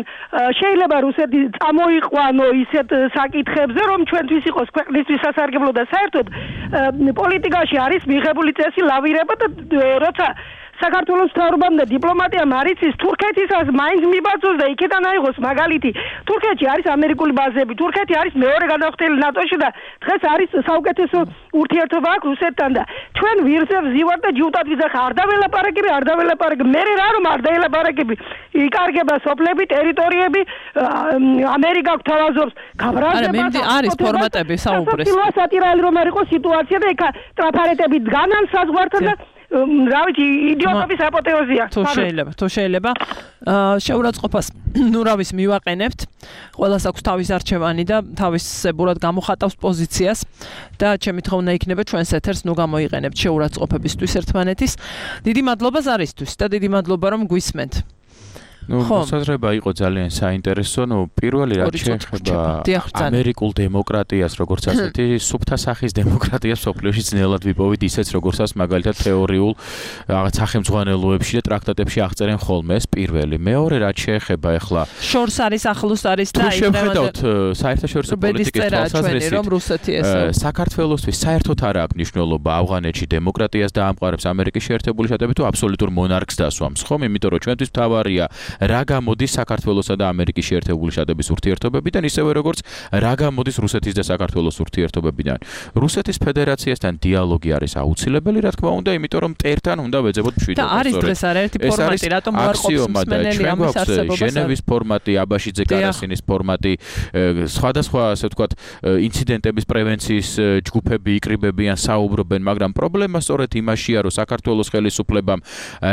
შეიძლება რუსეთი წამოიყვანო ისეთ საკითხებზე, რომ ჩვენთვის იყოს ქვეყნისთვის სასარგებლო და საერთოდ პოლიტიკაში არის მიღებული წესი ლავირება და როცა საქართველოს მთავრობამ და დიპლომატიამ არიცის თურქეთისას მაინც მიბაძოს და იქიდან აიღოს მაგალითი. თურქეთში არის ამერიკული ბაზები, თურქეთი არის მეორე გადახდელი ნატოში და დღეს არის საუკეთესო ურთიერთობა აქვს რუსეთთან და ჩვენ ვირზე ვზივართ და ჯუტად ვიძახ არ დაველაპარაკები, არ დაველაპარაკები. მე რა რომ არ დაველაპარაკები. იკარგება სოფლები, ტერიტორიები, ამერიკა გვთავაზობს გაბრაზებას. არის ფორმატები საუბრეს. სატირალი რომ არ იყოს სიტუაცია და ეხა ტრაფარეტები დგანან საზღვართან და რა ვიცი იდიოტების აპოთეოზია. თუ შეიძლება, თუ შეიძლება შეურაცხყოფას ნუ რა ვიცი მივაყენებთ. ყველას აქვს თავის არჩევანი და თავისებურად გამოხატავს პოზიციას და ჩემი თხოვნა იქნება ჩვენს ეთერს ნუ გამოიყენებთ შეურაცხყოფებისთვის ერთმანეთის. დიდი მადლობა ზარისთვის და დიდი მადლობა რომ გვისმენთ. ნუ მოსაზრება იყო ძალიან საინტერესო. ნუ პირველი რაც შეეხება ამერიკულ დემოკრატიას, როგორც ასეთი, სუფთა სახის დემოკრატიას სოფლიოში ძნელად ვიპოვით, ისეც როგორცაც მაგალითად თეორიულ რაღაც სახელმძღვანელოებში და ტრაქტატებში აღწერენ ხოლმე. ეს პირველი. მეორე რაც შეეხება ახლა შორს არის, ახლოს არის და აი შევხედავთ საერთაშორისო პოლიტიკის თვალსაზრისით. საქართველოსთვის საერთოდ არ აქვს მნიშვნელობა ავღანეთში დემოკრატიას დაამყარებს ამერიკის შეერთებული შტატები თუ აბსოლუტურ მონარქს დასვამს, ხომ? იმიტომ რომ ჩვენთვის მთავარია რა გამოდის საქართველოსა და ამერიკის შეერთებული შტატების ურთიერთობებიდან, ისევე როგორც რა გამოდის რუსეთის და საქართველოს ურთიერთობებიდან. რუსეთის ფედერაციასთან დიალოგი არის აუცილებელი, რა თქმა უნდა, იმიტომ რომ მტერთან უნდა ვეძებოთ მშვიდობა. და არის დღეს არაერთი ფორმატი, რატომ უარყოფს მსმენელი ამის არსებობას? ჟენევის ფორმატი, აბაშიძე კარასინის ფორმატი, სხვადასხვა ასე ვთქვათ, ინციდენტების პრევენციის ჯგუფები იკრიბებიან, საუბრობენ, მაგრამ პრობლემა სწორედ იმაშია, რომ საქართველოს ხელისუფლებამ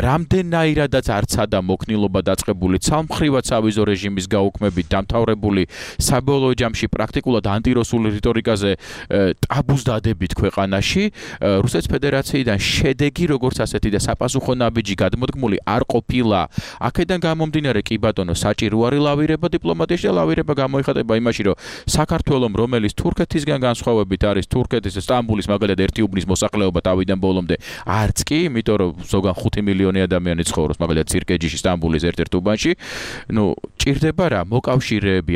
რამდენაირადაც არცადა მოქნილობა დაწყებული ცალმხრივად სავიზო რეჟიმის გაუქმებით დამთავრებული საბოლოო ჯამში პრაქტიკულად ანტირუსული რიტორიკაზე ტაბუს დადებით ქვეყანაში რუსეთის ფედერაციიდან შედეგი როგორც ასეთი და საპასუხო ნაბიჯი გადმოდგმული არ ყოფილა. აქედან გამომდინარე კი ბატონო საჭირო არის ლავირება დიპლომატიაში და ლავირება გამოიხატება იმაში რომ საქართველოს რომელიც თურქეთისგან განსხვავებით არის თურქეთის სტამბულის მაგალითად ერთი უბნის მოსახლეობა თავიდან ბოლომდე არც კი იმიტომ რომ ზოგან ხუთი მილიონი ადამიანი ცხოვრობს მაგალითად ცირკეჯიში სტამბულის ერთ-ერთ უბანში. ნუ ჭირდება რა მოკავშირეები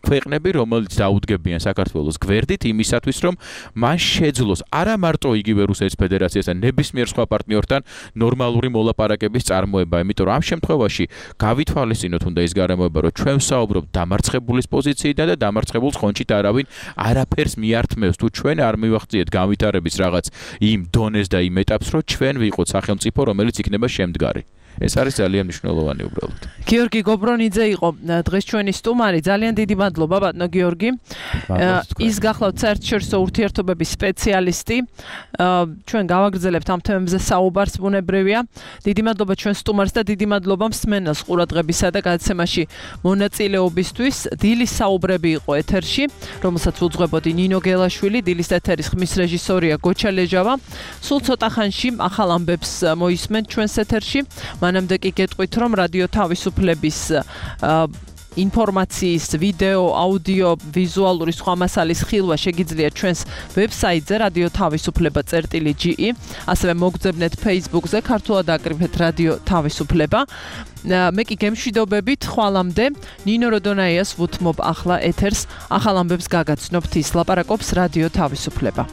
ქვეყნები რომელიც დაუდგებიან საქართველოს გვერდით იმისათვის რომ მან შეძლოს არა მარტო იგივე რუსეთის ფედერაციასთან ნებისმიერ სხვა პარტნიორთან ნორმალური მოლაპარაკების წარმოება, იმიტომ რომ ამ შემთხვევაში გავითვალისწინოთ უნდა ის გარემოება რომ ჩვენ ვსაუბრობთ დამარცხებულის პოზიციიდან და დამარცხებულს ხონჩით არავინ არაფერს მიართმევს თუ ჩვენ არ მივახციეთ განვითარების რაღაც იმ დონეს და იმ ეტაპს რომ ჩვენ ვიყოთ სახელმწიფო რომელიც იქნება შემდგარი. ეს არის ძალიან მნიშვნელოვანი უბრალოდ. გიორგი გობრონიძე იყო დღეს ჩვენი სტუმარი. ძალიან დიდი მადლობა ბატონო გიორგი. ის გახლავთ საერთაშორისო ურთიერთობების სპეციალისტი. ჩვენ გავაგრძელებთ ამ თემებზე საუბარს, ბუნებრივია. დიდი მადლობა ჩვენ სტუმარს და დიდი მადლობა მსმენელს ყურადღებისა და გადაცემაში მონაწილეობისთვის. დილის საუბრები იყო ეთერში, რომელსაც უძღვებოდი ნინო გელაშვილი, დილის ეთერის ხმის რეჟისორია გოჩა ლეჟავა. სულ ცოტა ხანში ახალ ამბებს მოისმენთ ჩვენს ეთერში. მანამდე კი გეტყვით, რომ რადიო თავისუფლების ინფორმაციის, ვიდეო, აუდიო, ვიზუალური სხვა მასალის ხილვა შეგიძლიათ ჩვენს ვებსაიტზე რადიო თავისუფლება წერტილი ჯი ი, ასევე მოგძებნეთ Facebook-ზე, ქართულად აკრიფეთ რადიო თავისუფლება. მე კი გემშვიდობებით, ხვალამდე ნინო როდონაიას ვუთმობ ახლა ეთერს, ახალ ამბებს გაგაცნობთ, ის ლაპარაკობს რადიო თავისუფლება.